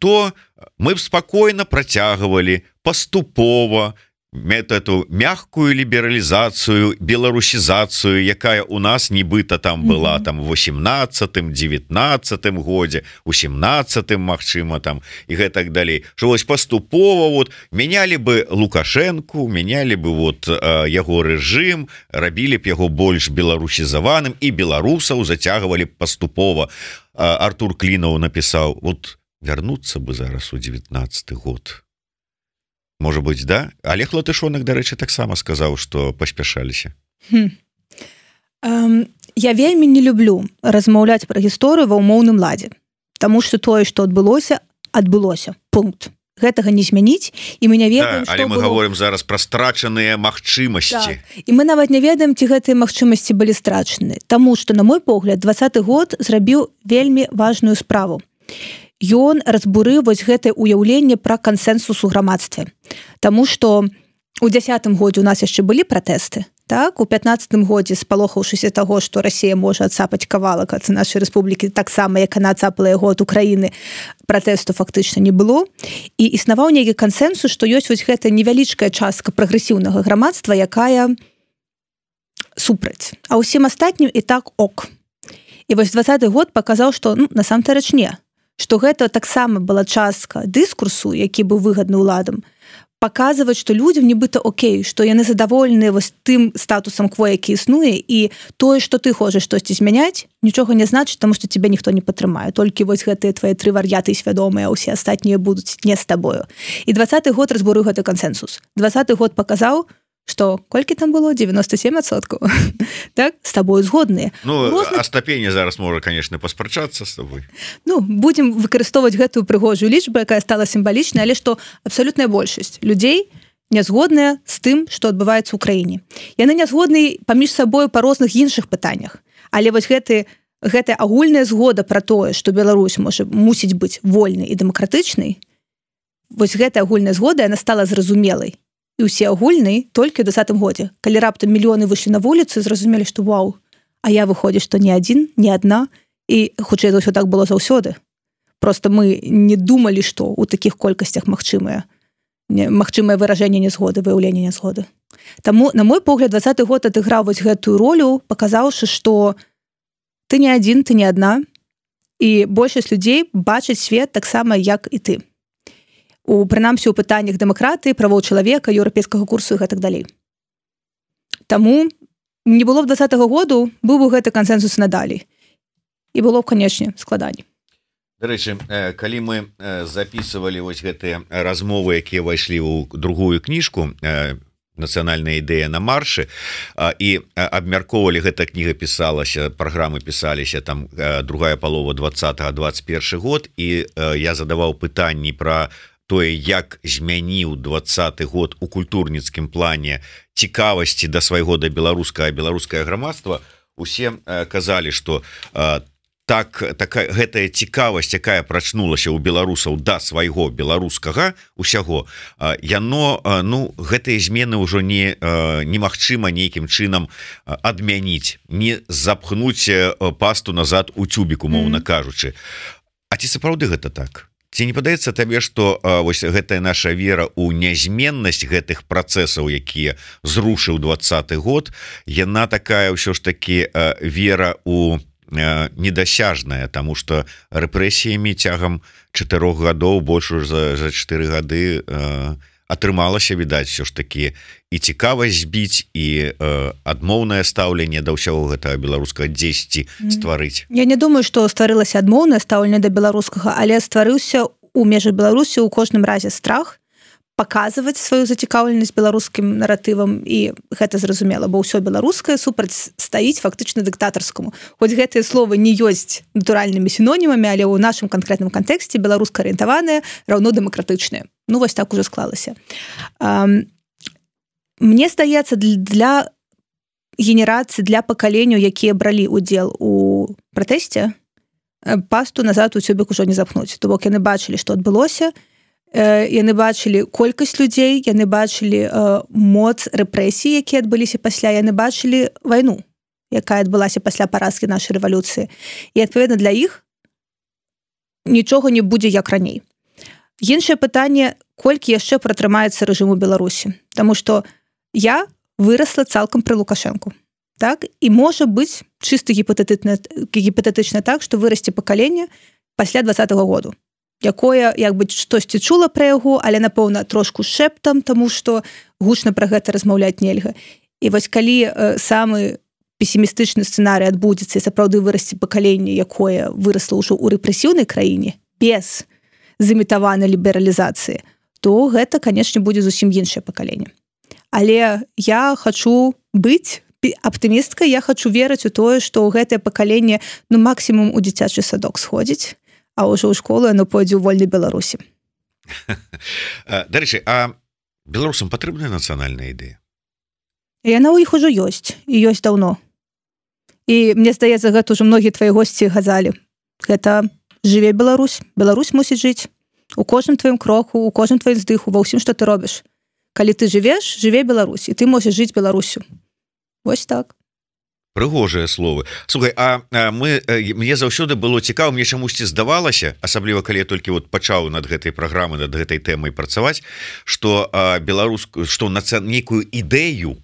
то мы б спакойна працягвалі паступова эту мягкую лібералізацыю, беларусізацыю, якая у нас нібыта там была там в 18-м, 19-м годзе, у 17-м, магчыма, там і гэтак далей. Што вось паступова вот мянялі бы Лукашэнку, мянялі бы вот яго рэжым, рабілі б яго больш беларусізаваным і беларусаў зацягвалі б паступова. Артур Клінаў напісаў, вот вярнуцца бы зараз у 19-й год. Можа быць, да? Олег Латышонак, дарэчы, таксама сказаў, што паспяшаліся. Я вельмі не люблю размаўляць пра гісторыю ва ўмоўным ладзе, таму што тое, што адбылося, пункт. Гэтага не змяніць, і мы не ведаем, што але мы гаворым зараз пра страчаныя магчымасці. І мы нават не ведаем, ці гэтыя магчымасці былі страчаныя, таму што, на мой погляд, 20-й год зрабіў вельмі важную справу. Ён разбурыў вось гэтае ўяўленне пра кансэнсус у грамадстве. Таму што у 10-м годзе у нас яшчэ былі пратэсты, Так, у 15 годзе спалохаўшыся таго, што Расія можа адцапаць кавалак ад нашай рэспублікі таксама, як яна адцапала яго ад Украіны, пратэсту фактычна не было. І існаваў нейкі кансэнсус, што ёсць вось гэтая невялічкая частка прагрэсіўнага грамадства, якая супраць. А ўсім астатнім і так ок. І вось 20-й год паказаў, што насамрэч не, што гэта таксама была частка дыскурсу, які быў выгадны ўладам, паказваць, што людзям нібыта окей, што яны задаволеныя вось тым статусам кво, які існуе, і тое, што ты хочаш штосьці змяняць, нічога не значыць, таму што цябе ніхто не падтрымае. Толькі вось гэтыя твае 3 вар'яты свядомыя, а ўсе астатнія будуць не з табою. І 20-й год разбурыў гэты кансэнсус. 20-й год паказаў, што колькі там было? 97%. Так? З табою згодныя. Астапенне зараз можа, конечно, паспрачацца з тобой. Будзем выкарыстоўваць гэтую прыгожую лічбу, якая стала сімвалічнай, але што абсалютная большасць людзей не згодныя з тым, што адбываецца ў краіне. Яны не згодныя паміж сабою па розных іншых пытаннях. Але вось гэтая агульная згода пра тое, што Беларусь мусіць быць вольнай і дэмакратычнай, вось гэтая агульная згода, яна стала зразумелай. І ўсе агульныя толькі ў 20-м годзе. Калі раптам мільёны выйшлі на вуліцу, зразумелі, што вау, а я выходзіць, што не адзін, не адна, і хутчэй за ўсё так было заўсёды. Просто мы не думалі, што ў такіх колькасцях магчымае выражэнне нязгоды, выяўленне нязгоды. Таму, на мой погляд, 20-й год адыграў вось гэтую ролю, паказаўшы, што ты не адзін, ты не адна, і большасць людзей бачаць свет таксама, як і ты. Прынамсі, у пытаннях дэмакратыі, правоў чалавека, еўрапейскага курсу і гэтак далей. Таму не было б 20-го году, быў бы гэты кансэнсус надалей. І было б, канечне, складаней. Дарэчы, калі мы записывалі вось гэтыя размовы, якія ўвайшлі ў другую кніжку «Нацыянальная ідэя на маршы», і абмяркоўвалі, гэта кніга пісалася, праграмы пісаліся там другая палова 20-21 год, і я задаваў пытанні пра тое, як змяніў 20-й год у культурніцкім плане цікавасці да свайго, да беларускае грамадства, усе казалі, што гэтая цікавасць, якая прачнулася ў беларусаў да свайго беларускага усяго, яно, гэтыя змены ўжо немагчыма нейкім чынам адмяніць, не запхнуць пасту назад у цюбіку, моўна кажучы. А ці сапраўды гэта так? Ці не падаецца табе, што вось гэтая наша вера ў нязменнасць гэтых працэсаў, якія зрушыў 20-й год, яна такая ўсё ж такі вера ў недасяжная, таму што рэпрэсіямі цягам 4 гадоў, больш за 4 гады атрымалася, відаць, все ж такі і цікавасць збіць, і адмоўнае стаўленне да ўсяго гэтага беларускага дзесьці стварыць. Я не думаю, што стварылася адмоўнае стаўленне да беларускага, але стварыўся ў межах Беларусі ў кожным разе страх паказваць сваю зацікаўленасць беларускім наратывам, і гэта зразумела, бо ўсё беларускае супраць стаіць фактычна дыктатарскаму. Хоць гэтыя словы не ёсць натуральнымі сінонімамі, але ў нашым канкрэтным кантэксце беларуска-арыентаваныя раўно дэмакратычныя. Вось так уже склалася. Мне здаецца, для генерацыі, для пакаленняў, якія бралі ўдзел у пратэсце, пасту назад у цюбік ужо не запхнуць. То бок яны бачылі, што адбылося, яны бачылі колькасць людзей, яны бачылі моц рэпрэсій, якія адбыліся пасля, яны бачылі вайну, якая адбылася пасля паразкі нашай рэвалюцыі. І, адпаведна, для іх нічога не будзе як раней. Іншае пытанне, колькі яшчэ пратрымаецца рэжым у Беларусі. Таму што я вырасла цалкам пры Лукашэнку. Так? І можа быць чыста гіпатэтычна так, што вырасце пакаленне пасля 20-го году, якое, як бы, штосьці чула пра яго, але, напэўна, трошку шэптам, таму што гучна пра гэта размаўляць нельга. І вось калі самы песімістычны сцэнарый адбудзецца і сапраўды вырасце пакаленне, якое вырасла ўжо ў рэпрэсіўнай краіне, без зымітаванай лібералізацыі, то гэта, канечне, будзе зусім іншае пакаленне. Але я хачу быць аптымісткай, я хачу верыць у тое, што гэтае пакаленне, максімум у дзіцячы садок сходзіць, а ўжо ў школу яно пойдзе ў вольнай Беларусі. Дарэчы, а беларусам патрэбная нацыянальная ідэя? Яна ў іх ужо ёсць, і ёсць даўно. І мне здаецца, гэта ўжо многія твае госці казалі. Гэта жыве Беларусь, Беларусь мусіць жыць у кожным тваім кроку, у кожным тваім здыху, ва ўсім, што ты робіш. Калі ты жывеш, жыве Беларусь, і ты можаш жыць Беларусю. Вось так. Прыгожыя словы. Слухай, мне заўсёды было цікава, мне чамусьці здавалася, асабліва калі я толькі вот пачаў над гэтай праграмай, над гэтай тэмай працаваць, што што нейкую ідэю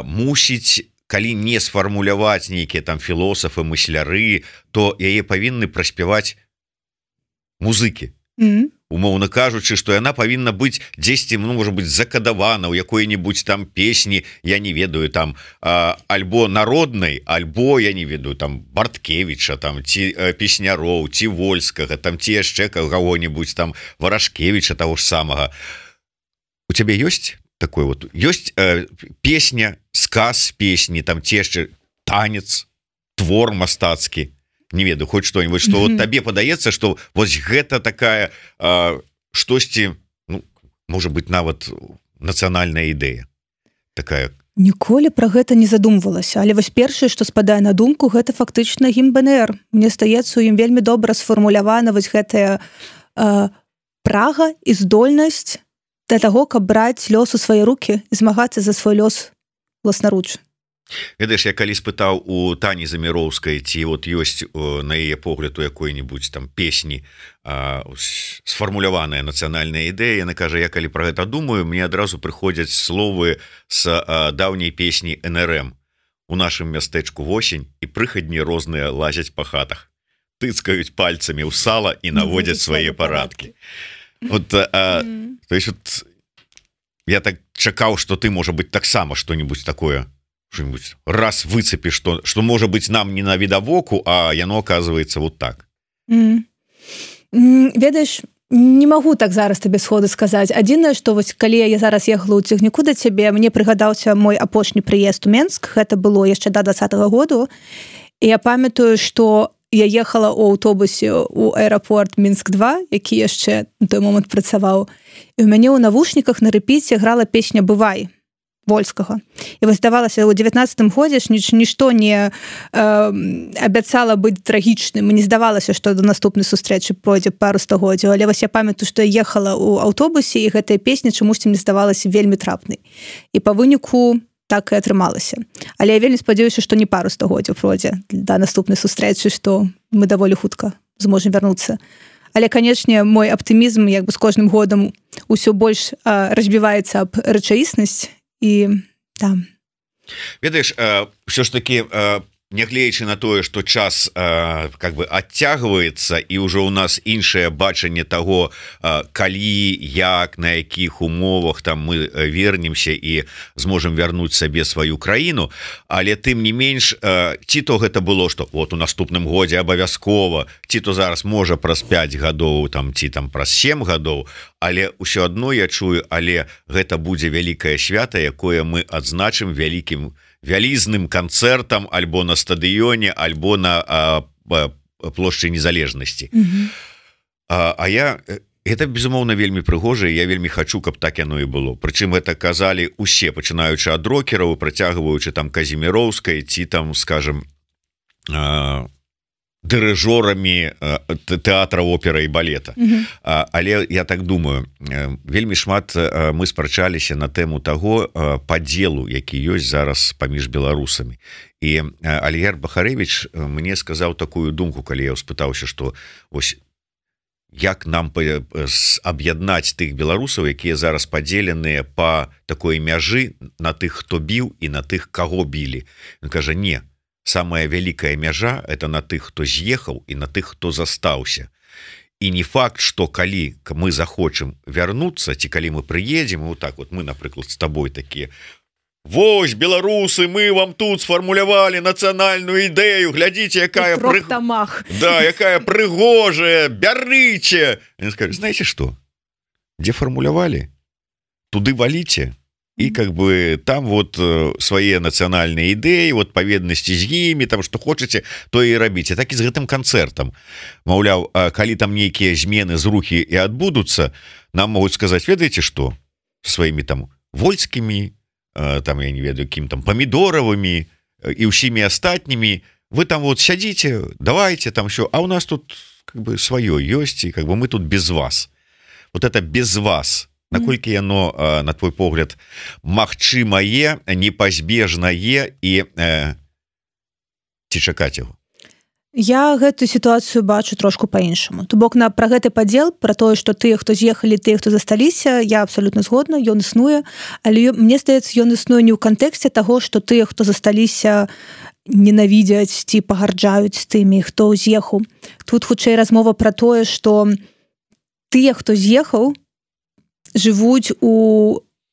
мусіць, калі не сфармуляваць нейкія там філосафы, мысляры, то яе павінны праспяваць музыкі. Умоўна кажучы, што яна павінна быць дзесьці, можа быць, закадавана ў якой-небудзь там песні, я не ведаю, там альбо народнай, альбо я не ведаю, там Барткевіча, там ці песняроў, ці Вольскага, там ці яшчэ каго-небудзь там Варашкевіча таго ж самага. У цябе ёсць такое вот, ёсць песня, сказ песні, там ці яшчэ танец, твор мастацкі? Не ведаю, хоть что-нибудь, что вот табе падаецца, что вось гэта такая штосьці, ну, можа быть, нават нацыянальная ідэя такая. Ніколі пра гэта не задумвалася, але вось першае, што спадае на думку, гэта фактычна гімн БНР. Мне здаецца, у ім вельмі добра сфармулявана вось гэтая прага і здольнасць для таго, каб браць лёс у свае рукі і змагацца за свой лёс власнаруч. Ведаеш, я калі спытаў у Тані Заміроўскай, ці вот ёсць на яе погляд у якой-небудзь там песні сфармуляваная нацыянальная ідэя, яна кажа, я калі пра гэта думаю, мне адразу прыходзяць словы з даўняй песні НРМ. У нашым мястэчку восень, і прыхадні розныя лазяць па хатах, тыцкаюць пальцамі ў сала і наводзяць свае парадкі. Вот, то есть вот я так чакаў, што ты, можа быць, таксама што-нибудь такое раз выцепишь, что может быть нам не на видовоку, а яно оказывается вот так. Ведаеш, не могу так зараз тебе сходу сказаць. Адзінае, што вось калі я зараз ехала ў цягніку да цябе, мне прыгадаўся мой апошні прыезд у Менск, гэта было яшчэ да 20-го году, і я памятаю, што я ехала ў аўтобусе ў аэрапорт Мінск-2, які яшчэ на той момант працаваў, і ў мяне ў навушніках на рэпіце грала песня «Бывай» Вольскага. І вось здавалася, у 19-м годзе ж нішто не абяцала быць трагічным. Мне здавалася, што до наступнай сустрэчы пройдзе пару стагоддзяў, але вось я памятаю, што я ехала ў аўтобусе, і гэтая песня чамусьці мне здавалася вельмі трапнай. І па выніку так і атрымалася. Але я вельмі спадзяюся, што не пару стагоддзяў пройдзе да наступнай сустрэчы, што мы даволі хутка зможам вярнуцца. Але, канечне, мой аптымізм як бы з кожным годам усё больш разбіваецца аб рэчаіснасць. І там. Ведаеш, все ж таки, нягледзячы на тое, што час как бы адцягваецца, і ўжо ў нас іншае бачанне таго, калі, як, на якіх умовах там мы вернемся і зможам вярнуць сабе сваю краіну, але тым не менш, ці то гэта было, што вот у наступным годзе абавязкова, ці то зараз можа праз 5 гадоў, там, ці там праз 7 гадоў, але ўсё адно я чую, але гэта будзе вялікае свята, якое мы адзначым вялізным канцэртам альбо на стадыёне, альбо на плошчы незалежнасці. Гэта, безумоўна, вельмі прыгожа, я вельмі хачу, каб так яно і было. Прычым гэта казалі усе, пачынаючы ад рокераў, працягваючы там Казіміроўскай, ці там, скажем, дырыжорамі тэатра, оперы і балета. Але я так думаю, вельмі шмат мы спрачаліся на тэму таго падзелу, які ёсць зараз паміж беларусамі. І Аліяр Бахарэвіч мне сказаў такую думку, калі я спытаўся, што вось як нам аб'яднаць тых беларусаў, якія зараз падзеленыя па такой мяжы на тых, хто біў, і на тых, каго білі. Ён кажа, не, самая вялікая мяжа – это на тых, хто з'ехаў, і на тых, хто застаўся. І не факт, што калі мы захочам вярнуцца, ці калі мы прыедзем, вот так вот мы, напрыклад, з табой такія, вось, беларусы, мы вам тут сфармулявалі нацыянальную ідэю, глядзіце, якая якая прыгожая, бярыце. Ён скажа, знаеце што? Дзе фармулявалі? Туды валіце. І как бы там вот свае нацыянальныя ідэі, вот паведнасці з імі, там што хочаце, то і рабіце. Так і з гэтым канцэртам. Маўляў, калі там нейкія змены з рухі і адбудуцца, нам могуць сказаць, ведаеце што? Сваімі там вольскімі, там, я не ведаю, кім там, памідоравымі і ўсімі астатнімі, вы там вот сядзіце, давайте там що, а у нас тут как бы сваё ёсць, і как бы мы тут без вас. Вот это без вас наколькі яно на твой погляд магчымае, непазбежнае і ці чакаць яго? Я гэтую сітуацыю бачу трошку па-іншаму. То бок пра гэты падзел, пра тое, што тыя, хто з'ехалі, тыя, хто засталіся, я абсалютна згодна, ён існуе, але мне здаецца, ён існуе не ў кантэксце таго, што тыя, хто засталіся, ненавідзяць ці пагарджаюць тымі, хто з'ехаў. Тут хутчэй размова пра тое, што тыя, хто з'ехаў, жывуць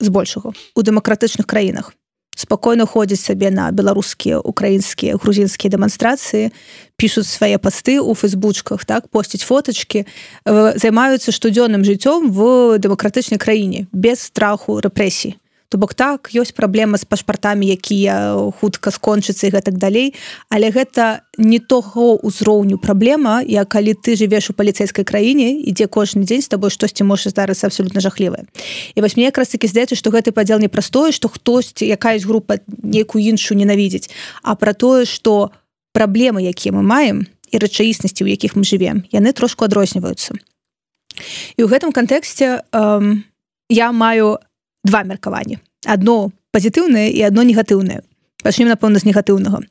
збольшага у дэмакратычных краінах. Спакойна ходзяць сабе на беларускія, украінскія, грузінскія дэманстрацыі, пішуць свае пасты ў фэйсбучках, так, посцяць фотачкі, займаюцца штодзённым жыццём в дэмакратычнай краіне, без страху рэпрэсій. То бок так, ёсць праблема з пашпартамі, якія хутка скончацца і гэтак далей, але гэта не того ўзроўню праблема, як калі ты жывеш у паліцэйскай краіне, і дзе кожны дзень з табой штосьці можа здарыцца абсалютна жахлівае. І вось мне якраз такі здаецца, што гэты падзел не пра тое, што хтосьці, якаясь група нейкую іншую ненавідзіць, а пра тое, што праблемы, якія мы маем, і рэчаіснасці, у якіх мы жывем, яны трошку адрозніваюцца. І ў гэтым кантэксце я маю два меркаванні. Адно пазітыўнае і адно негатыўнае. Пачнем, напэўна, з негатыўнага.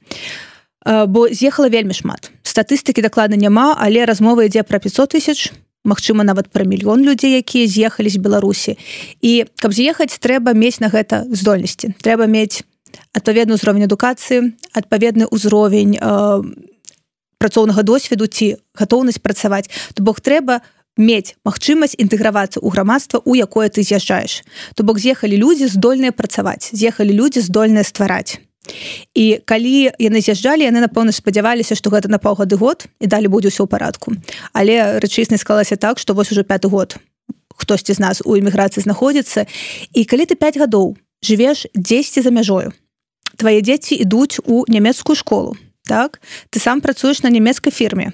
Бо з'ехала вельмі шмат. Статыстыкі дакладна няма, але размова ідзе пра 500 000, магчыма, нават пра 1 000 000 людзей, якія з'ехалі з Беларусі. І каб з'ехаць, трэба мець на гэта здольнасці. Трэба мець адпаведны ўзровень адукацыі, адпаведны ўзровень працоўнага досведу ці гатоўнасць працаваць. То бок трэба мець магчымасць інтэгравацца ў грамадства, у якое ты з'язджаеш. То бок з'ехалі людзі, здольныя працаваць, з'ехалі людзі, здольныя ствараць. І калі яны з'язджалі, яны, напэўна, спадзяваліся, што гэта на паўгады год, і далі будзе ўсё ў парадку. Але рэчаіснасць склалася так, што вось ужо 5-й год хтосьці з нас у эміграцыі знаходзіцца. І калі ты 5 гадоў жывеш дзесьці за мяжою, твае дзеці ідуць у нямецкую школу, так? Ты сам працуеш на нямецкай фірме.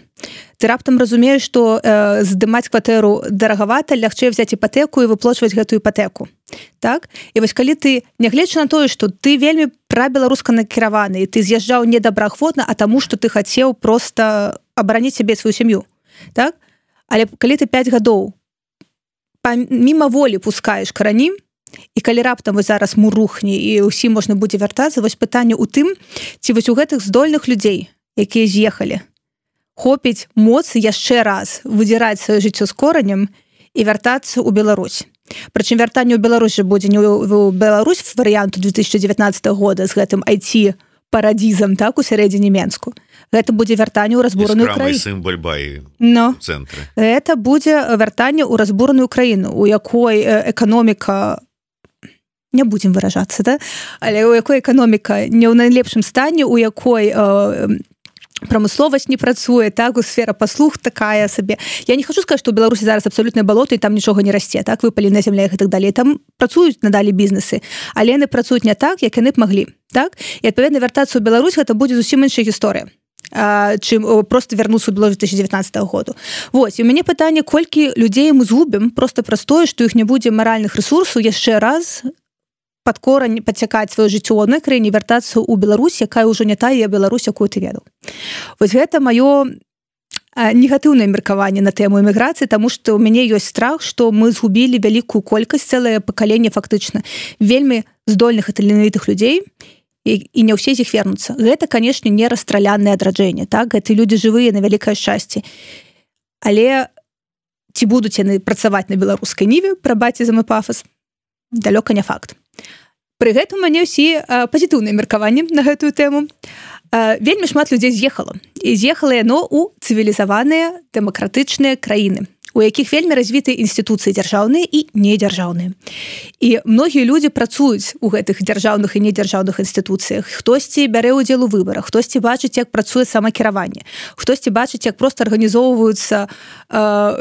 Ты раптам разумееш, што здымаць кватэру дарагавата, лягчэй взяць іпатэку і выплачваць гэтую іпатэку. Так? І вось калі ты, нягледзячы на тое, што ты вельмі прабеларуска накіраваны, і ты з'язджаў не добраахвотна, а таму, што ты хацеў проста абараніць сябе сваю сям'ю. Так? Але калі ты 5 гадоў міма волі пускаеш карані, і калі раптам вось зараз мур рухне і ўсім можна будзе вяртацца, вось пытанне ў тым, ці вось у гэтых здольных людзей, якія з'ехалі, хопіць моцы яшчэ раз выдзіраць сваё жыццё з коранем і вяртацца ў Беларусь. Прычым вяртанне ў Беларусь будзе не ў Беларусь варыянту 2019 года з гэтым IT-парадізам, так, у сярэдзіне Менску. Гэта будзе вяртанне ў разбураную краіну. Гэта будзе вяртанне ў разбураную краіну, у якой эканоміка, не будзем выражацца, да? Але у якой эканоміка не ў найлепшым стане, у якой прамысловасць не працуе, так, у сфера паслуг такая сабе. Я не хочу сказаць, што ў Беларусі зараз абсалютнае балота і там нічога не расце, так, выпаленая зямля і так далей. Там працуюць надалі бізнесы, але яны працуюць не так, як яны б маглі, так? І адпаведна вяртацца ў Беларусь гэта будзе зусім іншая гісторыя, чым просто вярнуцца ў Беларусь 2019 году. Вось, і у мяне пытанне, колькі людзей мы згубім проста праз тое, што іх не будзе маральных рэсурсаў яшчэ раз пад корань падцякаць сваё жыццё ў адной краіне, вяртацца ў Беларусь, якая ўжо не тая Беларусь, якую ты ведаў. Вось гэта маё негатыўнае меркаванне на тэму эміграцыі, таму што ў мяне ёсць страх, што мы згубілі вялікую колькасць, цэлае пакаленне фактычна вельмі здольных і таленавітых людзей, і не ўсе з іх вернуцца. Гэта, канешне, не расстралянае адраджэнне, так? Гэты людзі жывыя на вялікае шчасце. Але ці будуць яны працаваць на беларускай ніве, прабачце за мой пафас, далёка не факт. Пры гэтым у мяне ўсе пазітыўныя меркаванні на гэтую тэму. Вельмі шмат людзей з'ехала. І з'ехала яно ў цывілізаваныя дэмакратычныя краіны, у якіх вельмі развітыя інстытуцыі дзяржаўныя і недзяржаўныя. І многія людзі працуюць у гэтых дзяржаўных і недзяржаўных інстытуцыях. Хтосьці бярэ ўдзел у выбарах, хтосьці бачыць, як працуе самакіраванне, хтосьці бачыць, як проста арганізоўваюцца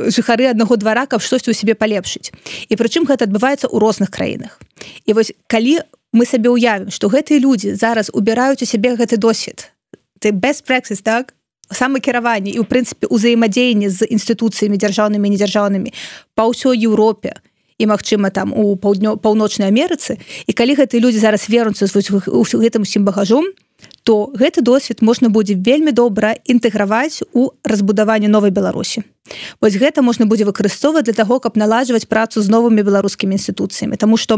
жыхары аднаго двара, каб штосьці ў сябе палепшыць. І прычым гэта адбываецца ў розных краінах. І вось калі мы сабе ўявім, што гэтыя людзі зараз убіраюць у сябе гэты досвед, ты best practice, так? Самакіраванне і, ў прынцыпе, узаемадзеянне з інстытуцыямі дзяржаўнымі і недзяржаўнымі па ўсёй Еўропе і, магчыма, там у паўночнай Амерыцы, і калі гэтыя людзі зараз вернуцца з гэтым усім багажом, то гэты досвед можна будзе вельмі добра інтэграваць у разбудаванне новай Беларусі. Вось гэта можна будзе выкарыстоўваць для таго, каб наладжваць працу з новымі беларускімі інстытуцыямі, таму што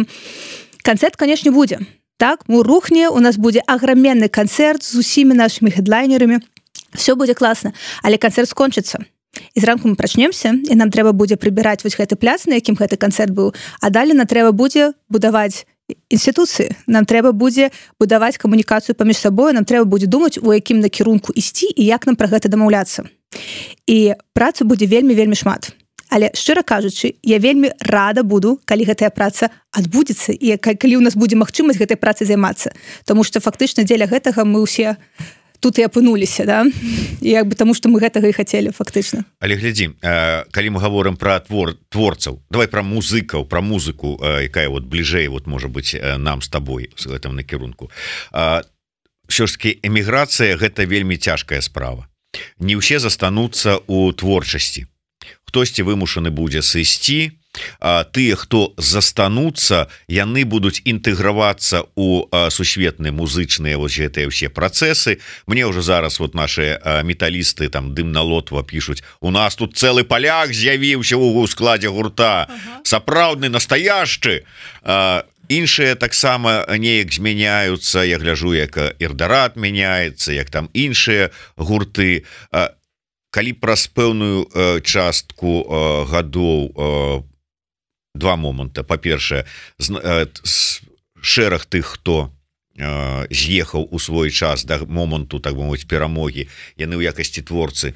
канцэрт, канешне, будзе. Так, мы рухне, у нас будзе аграменны канцэрт з усімі нашымі хедлайнерамі. Все будзе класна, але канцэрт скончыцца. І зранку мы прачнемся, і нам трэба будзе прыбіраць вось гэты пляц, на якім гэты канцэрт быў, а далей нам трэба будзе будаваць інстытуцыі, нам трэба будзе будаваць камунікацыю паміж сабою, нам трэба будзе думаць, у якім накірунку ісці і як нам пра гэта дамаўляцца. І працы будзе вельмі шмат. Але, шчыра кажучы, я вельмі рада буду, калі гэтая праца адбудзецца і калі ў нас будзе магчымасць гэтай працы займацца. Таму што фактычна дзеля гэтага мы ўсе тут і апынуліся, да? І як бы таму, што мы гэтага і хацелі фактычна. Але глядзі, калі мы гаворым пра творцаў, давай пра музыкаў, пра музыку, якая вот бліжэй вот можа быць нам з табой з гэтым накірунку. Ўсё ж такі эміграцыя гэта вельмі цяжкая справа. Не ўсе застануцца ў творчасці. Хтосьці вымушаны будзе сысці, а тыя, хто застануцца, яны будуць інтэгравацца ў сусветныя музычныя вось гэтыя ўсе працэсы. Мне ўжо зараз вот наши металісты там дым на лотва пішуць: у нас тут цэлы паляк з'явіўся ў складзе гурта, сапраўдны настояшчы. Іншыя таксама неяк змяняюцца. Я гляжу, як Ірдарат мяняецца, як там іншыя гурты. Калі праз пэўную частку гадоў два моманта. Па-першае, шэраг тых, хто з'ехаў у свой час да моманту, так бы мовіць, перамогі, яны ў якасці творцы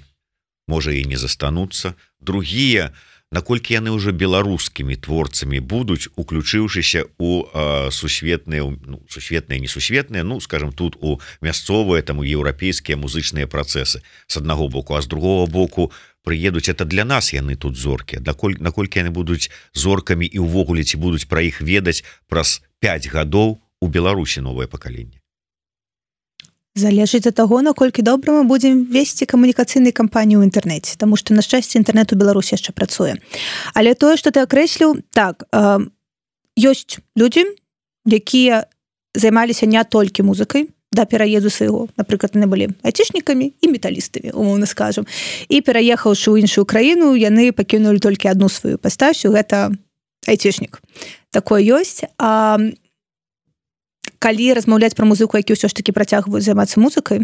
можа і не застануцца. Другія, наколькі яны ўжо беларускімі творцамі будуць, уключыўшыся у сусветныя, несусветныя, ну, скажем, тут у мясцовыя, там, у еўрапейскія музычныя працэсы з аднаго боку, а з другого боку прыедуць, это для нас яны тут зоркі. Наколькі яны будуць зоркамі і ўвогуле ці будуць пра іх ведаць праз 5 гадоў у Беларусі новае пакаленне? Залежыць ад таго, наколькі добра мы будзем весці камунікацыйныя кампаніі ў інтэрнэце, таму што, на шчасце, інтэрнэт у Беларусі яшчэ працуе. Але тое, што ты акрэсліў, так, ёсць людзі, якія займаліся не толькі музыкай да пераезду свайго. Напрыклад, яны былі айцішнікамі і металістамі, умоўна скажам. І пераехаўшы ў іншую краіну, яны пакінулі толькі адну сваю пастасю, гэта айцішнік. Такое ёсць. А калі размаўляць пра музыку, які ўсё ж такі працягваюць займацца музыкай,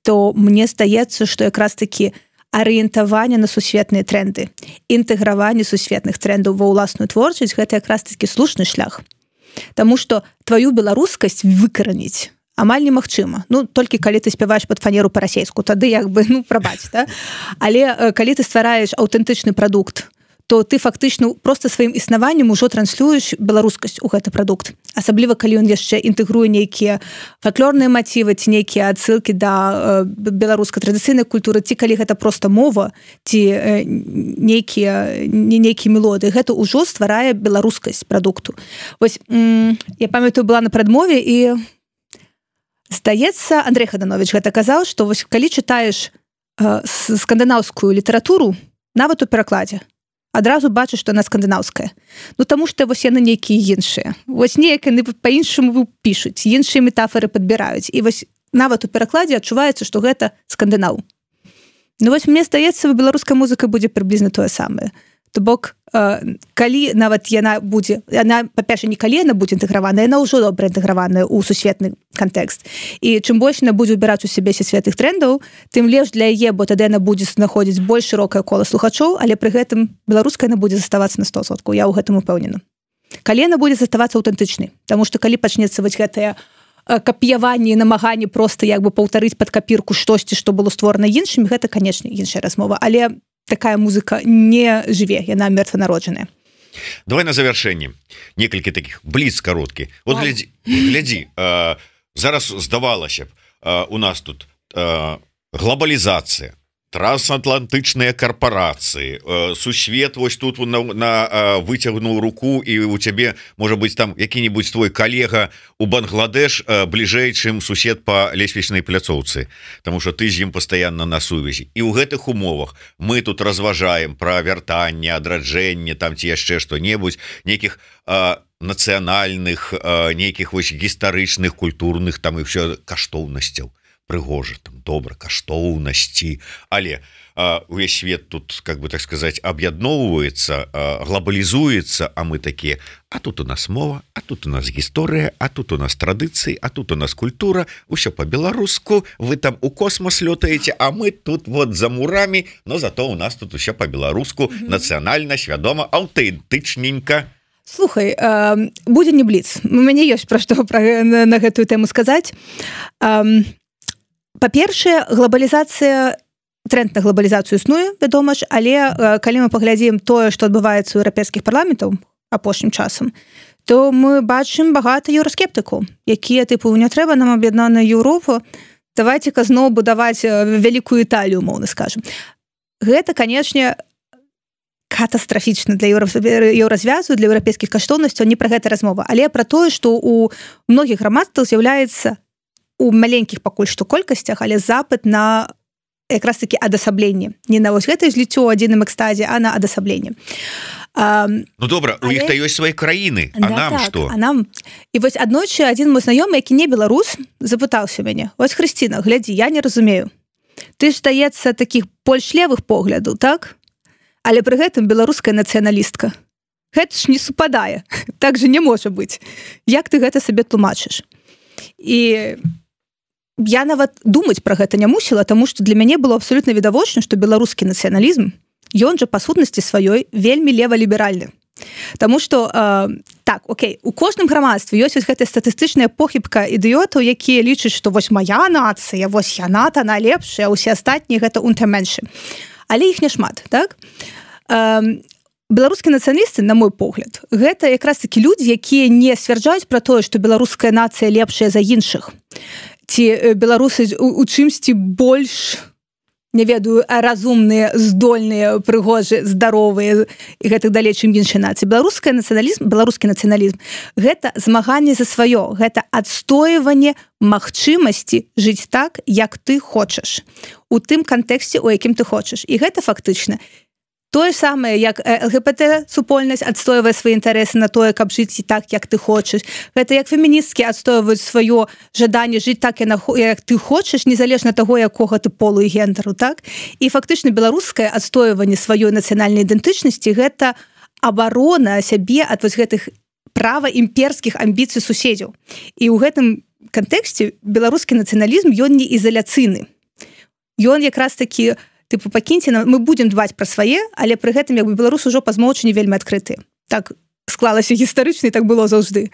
то мне здаецца, што якраз такі арыентаванне на сусветныя тренды, інтэграванне сусветных трендаў ва ўласную творчасць, гэта якраз такі слушны шлях. Таму што тваю беларускасць выкараніць амаль немагчыма. Ну, толькі калі ты спяваеш пад фанеру па-расейску, тады як бы, ну, прабач, да? Але калі ты ствараеш аўтэнтычны прадукт, то ты фактычна проста сваім існаваннем ужо транслюеш беларускасць у гэты прадукт. Асабліва, калі ён яшчэ інтэгруе нейкія фальклорныя матывы, ці нейкія адсылкі да беларускай традыцыйнай культуры, ці калі гэта проста мова, ці нейкія мелодыі. Гэта ўжо стварае беларускасць прадукту. Вось, я памятаю, была на прадмове, і здаецца, Андрэй Хаданович гэта казаў, што вось калі чытаеш скандынаўскую літаратуру, нават у перакладзе, адразу бачыш, што яна скандынаўская. Ну, таму што вось яны нейкія іншыя. Вось неяк яны па-іншаму пішуць, іншыя метафоры падбіраюць. І вось нават у перакладзе адчуваецца, што гэта скандынаў. Ну, вось мне здаецца, беларуская музыка будзе прыблізна тое самае. То бок, калі нават яна будзе, яна, па-першае, не калі яна будзе інтэграваная, яна ўжо добра інтэграваная ў сусветны кантэкст. І чым больш яна будзе ўбіраць у сябе сусветных трендаў, тым лепш для яе, бо тады яна будзе знаходзіць больш шырокае кола слухачоў, але пры гэтым беларуская яна будзе заставацца на 100%. Я ў гэтым упэўнена. Калі яна будзе заставацца аўтэнтычнай, таму што калі пачнецца вось гэтае капіяванне і намаганне проста як бы паўтарыць пад капірку штосьці, што было створана іншымі, гэта, канешне, іншая размова. Але такая музыка не жыве, яна мёртванароджаная. Давай на завяршэнне некалькі такіх бліц кароткі. Вот глядзі, зараз здавалася б, у нас тут глобалізацыя, трансатлантычныя карпорацыі, сусвет вось тут на выцягнуў руку, і у цябе можа быць там які-нибудь твой калега у Бангладеш бліжэй, чым сусед по лесвічнай пляцоўцы, тому что ты з ім пастаянна на сувязі. І ў гэтых умовах мы тут разважаем пра вяртанне, адраджэнне, там ці яшчэ што-небудзь, нейкіх нацыянальных, нейкіх вось гістарычных, культурных там і ўсё каштоўнасцяў. Прыгожа, там добра, каштоўнасці, але увесь свет тут, как бы так сказать, аб'ядноўваецца, глобалізуецца, а мы такія, а тут у нас мова, а тут у нас гісторыя, а тут у нас традыцыі, а тут у нас культура, усё по-беларуску, вы там у космос лётаеце, а мы тут вот за мурамі, но зато у нас тут усё по-беларуску, нацыянальна, свядома, аўтэнтычненька. Слухай, будзе не бліц. У мяне ёсць пра што на гэтую тэму сказаць. Па-першае, глобалізацыя, тренд на глобалізацыю існуе, вядома ж, але калі мы паглядзім тое, што адбываецца ў еўрапейскіх парламентаў апошнім часам, то мы бачым багата еўраскептыкаў, якія тыпу не трэба нам аб'яднаную Еўропу, давайце-ка зноў будаваць вялікую Італію, умоўна скажам. Гэта, канечне, катастрафічна для еўразвязу, для еўрапейскіх каштоўнасцяў, не пра гэта размова, але пра тое, што ў многіх грамадствах з'яўляецца у маленькіх пакуль што колькасцях, але запыт на якраз такі адасабленне. Не на вось гэтае зліццё ў адзіным экстазе, а на адасабленне. Ну добра, у іх-то ёсць свае краіны, а нам што? А нам... І вось аднойчы адзін мой знаёмы, які не беларус, запытаўся мяне: "Вось, Хрысціна, глядзі, я не разумею. Ты ж, здаецца, такіх больш левых поглядаў, так? Але пры гэтым беларуская нацыяналістка. Гэта ж не супадае. Так же не можа быць. Як ты гэта сабе тлумачыш?" І я нават думаць пра гэта не мусіла, таму што для мяне было абсалютна відавочна, што беларускі нацыяналізм, ён жа па сутнасці сваёй вельмі лева-ліберальны. Таму што, так, окей, у кожным грамадстве ёсць гэтая статыстычная похібка ідыётаў, якія лічаць, што вось моя нацыя, вось яна-то найлепшая, а ўсе астатнія гэта унтэрменшы. Але іх няшмат, так? Беларускія нацыяналісты, на мой погляд, гэта якраз такі людзі, якія не сцвярджаюць пра тое, што беларуская нацыя лепшая за іншых. Ці беларусы у чымсьці больш, не ведаю, разумныя, здольныя, прыгожыя, здаровыя і гэтак далей, чым іншыя нацыі. Беларускі нацыяналізм гэта змаганне за сваё, гэта адстойванне магчымасці жыць так, як ты хочаш, у тым кантэксце, у якім ты хочаш. І гэта фактычна тое самае, як ЛГБТ-супольнасць адстойвае свае інтарэсы на тое, каб жыць так, як ты хочаш. Гэта як феміністкі адстойваюць сваё жаданне жыць так, як ты хочаш, незалежна таго, якога ты полу і гендеру, так? І фактычна беларускае адстойванне сваёй нацыянальнай ідэнтычнасці гэта абарона сябе ад вось гэтых права імперскіх амбіцый суседзяў. І ў гэтым кантэксце беларускі нацыяналізм, ён не ізаляцыйны. Ён якраз такі тыпу, пакіньце нам, мы будзем дбаць пра свае, але пры гэтым як бы беларусы ўжо па змоўчанні вельмі адкрытыя. Так склалася гістарычна, і так было заўжды.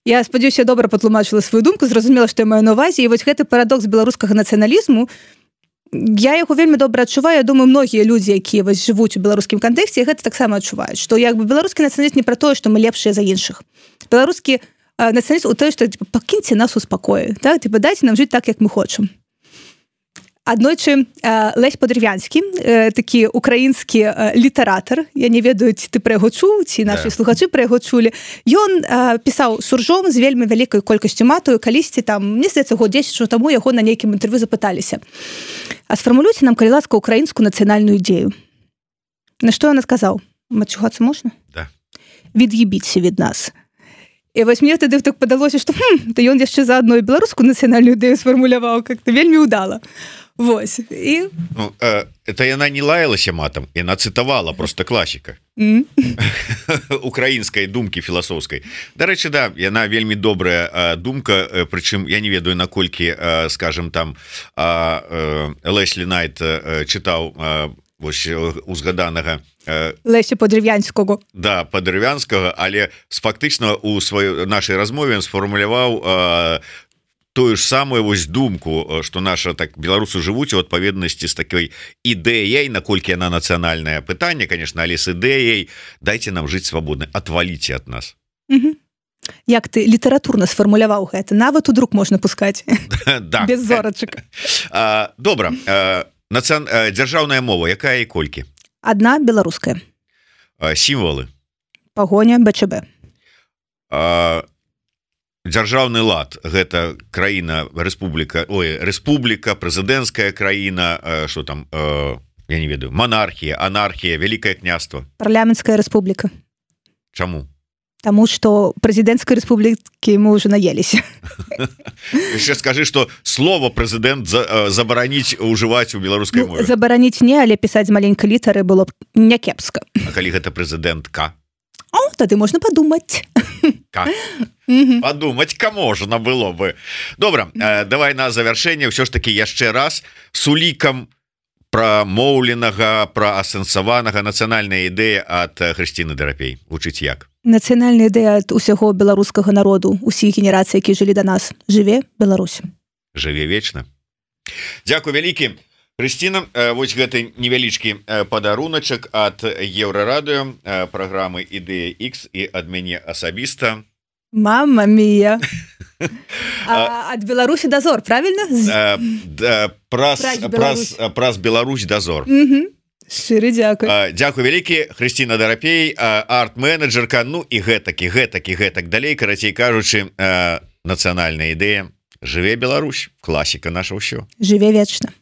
Я спадзяюся, я добра патлумачыла сваю думку, зразумела, што я маю на ўвазе, і вось гэты парадокс беларускага нацыяналізму, я яго вельмі добра адчуваю, я думаю, многія людзі, якія вось жывуць у беларускім кантэксце, гэта таксама адчуваюць, што як бы беларускі нацыяналізм не пра тое, што мы лепшыя за іншых. Беларускі нацыяналізм у тое, што пакіньце нас у спакоі, так? Дайце нам жыць так, як мы хочам. Аднойчы Лесь Подрывянскі, такі украінскі літаратар, я не ведаю, ці ты пра яго чуў, ці нашы слухачы пра яго чулі, ён пісаў суржом з вельмі вялікай колькасцю матаю, калісьці там, мне здаецца, год 10 таму яго на нейкім інтэрв'ю запыталіся: "А сфармулюйце нам, калі ласка, украінскую нацыянальную ідзею". На што ён адказаў: "Мачугацца можна?" Да. "Від'ебіться від нас". І вось мне тады так падалося, што то ён яшчэ заадно і беларускую нацыянальную ідэю сфармуляваў, как-то вельмі ўдала. Вось. І... Ну, это яна не лаялася матам, яна цытавала просто класіка. Украінскай думкі філасофскай. Дарэчы, да, яна вельмі добрая думка, прычым я не ведаю, наколькі, скажем, там Леслі Найт чытаў вось узгаданага Леся Подрывянскага. Да, Подрывянскага, але фактычна у сваёй нашай размове ён сфармуляваў тую ж самую вось думку, што наша так беларусы жывуць у адпаведнасці з такой ідэяй, наколькі яна нацыянальнае пытанне, конечно, але з ідэяй дайце нам жыць свабодна, отваліце ад нас. Як ты літаратурна сфармуляваў гэта? Нават у друк можна пускаць. Да. Без зорачак. Добра. дзяржаўная мова якая і колькі Одна беларуская. сімвалы Пагоня БЧБ. Дзяржаўны лад гэта краіна рэспубліка прэзідэнцкая краіна что там я не ведаю монархія анархія Вялікае княства Парламенцкая рэспубліка. Чаму Таму што прэзідэнцкай рэспублікі мы ўжо наеліся. яшчэ скажы что слово прэзідэнт забараніць ужываць у беларускай мове Забараніць не, але пісаць з маленькай літары было б някепска. калі гэта прэзідэнтка О, тады можна падумаць. подумать-ка можна было бы добра давай на завяршэнне ўсё ж таки яшчэ раз с улікам прамоўленага праасэнсаванага нацыянальная ідэя ад Хрысціны Драпей вучыць як Нацыянальная ідэя ад усяго беларускага народу усіх генерацый, які жылі да нас. Жыве Беларусь. Жыве вечна. Дзякуй вялікі Хрысціна, вось гэты невялічкі падаруначак ад Еўрарадыё праграмы ідэя X і ад мяне асабіста. Мама мія. Ад Беларусі дазор, правильно? Праз Беларусь дазор. Шчыры дзякуй. Дзякуй вялікі Хрысціна Драпей, арт-менеджерка, ну і гэтак далей, карацей кажучы, нацыянальная ідэя. Жыве Беларусь, класіка наша ўсё. Жыве вечна.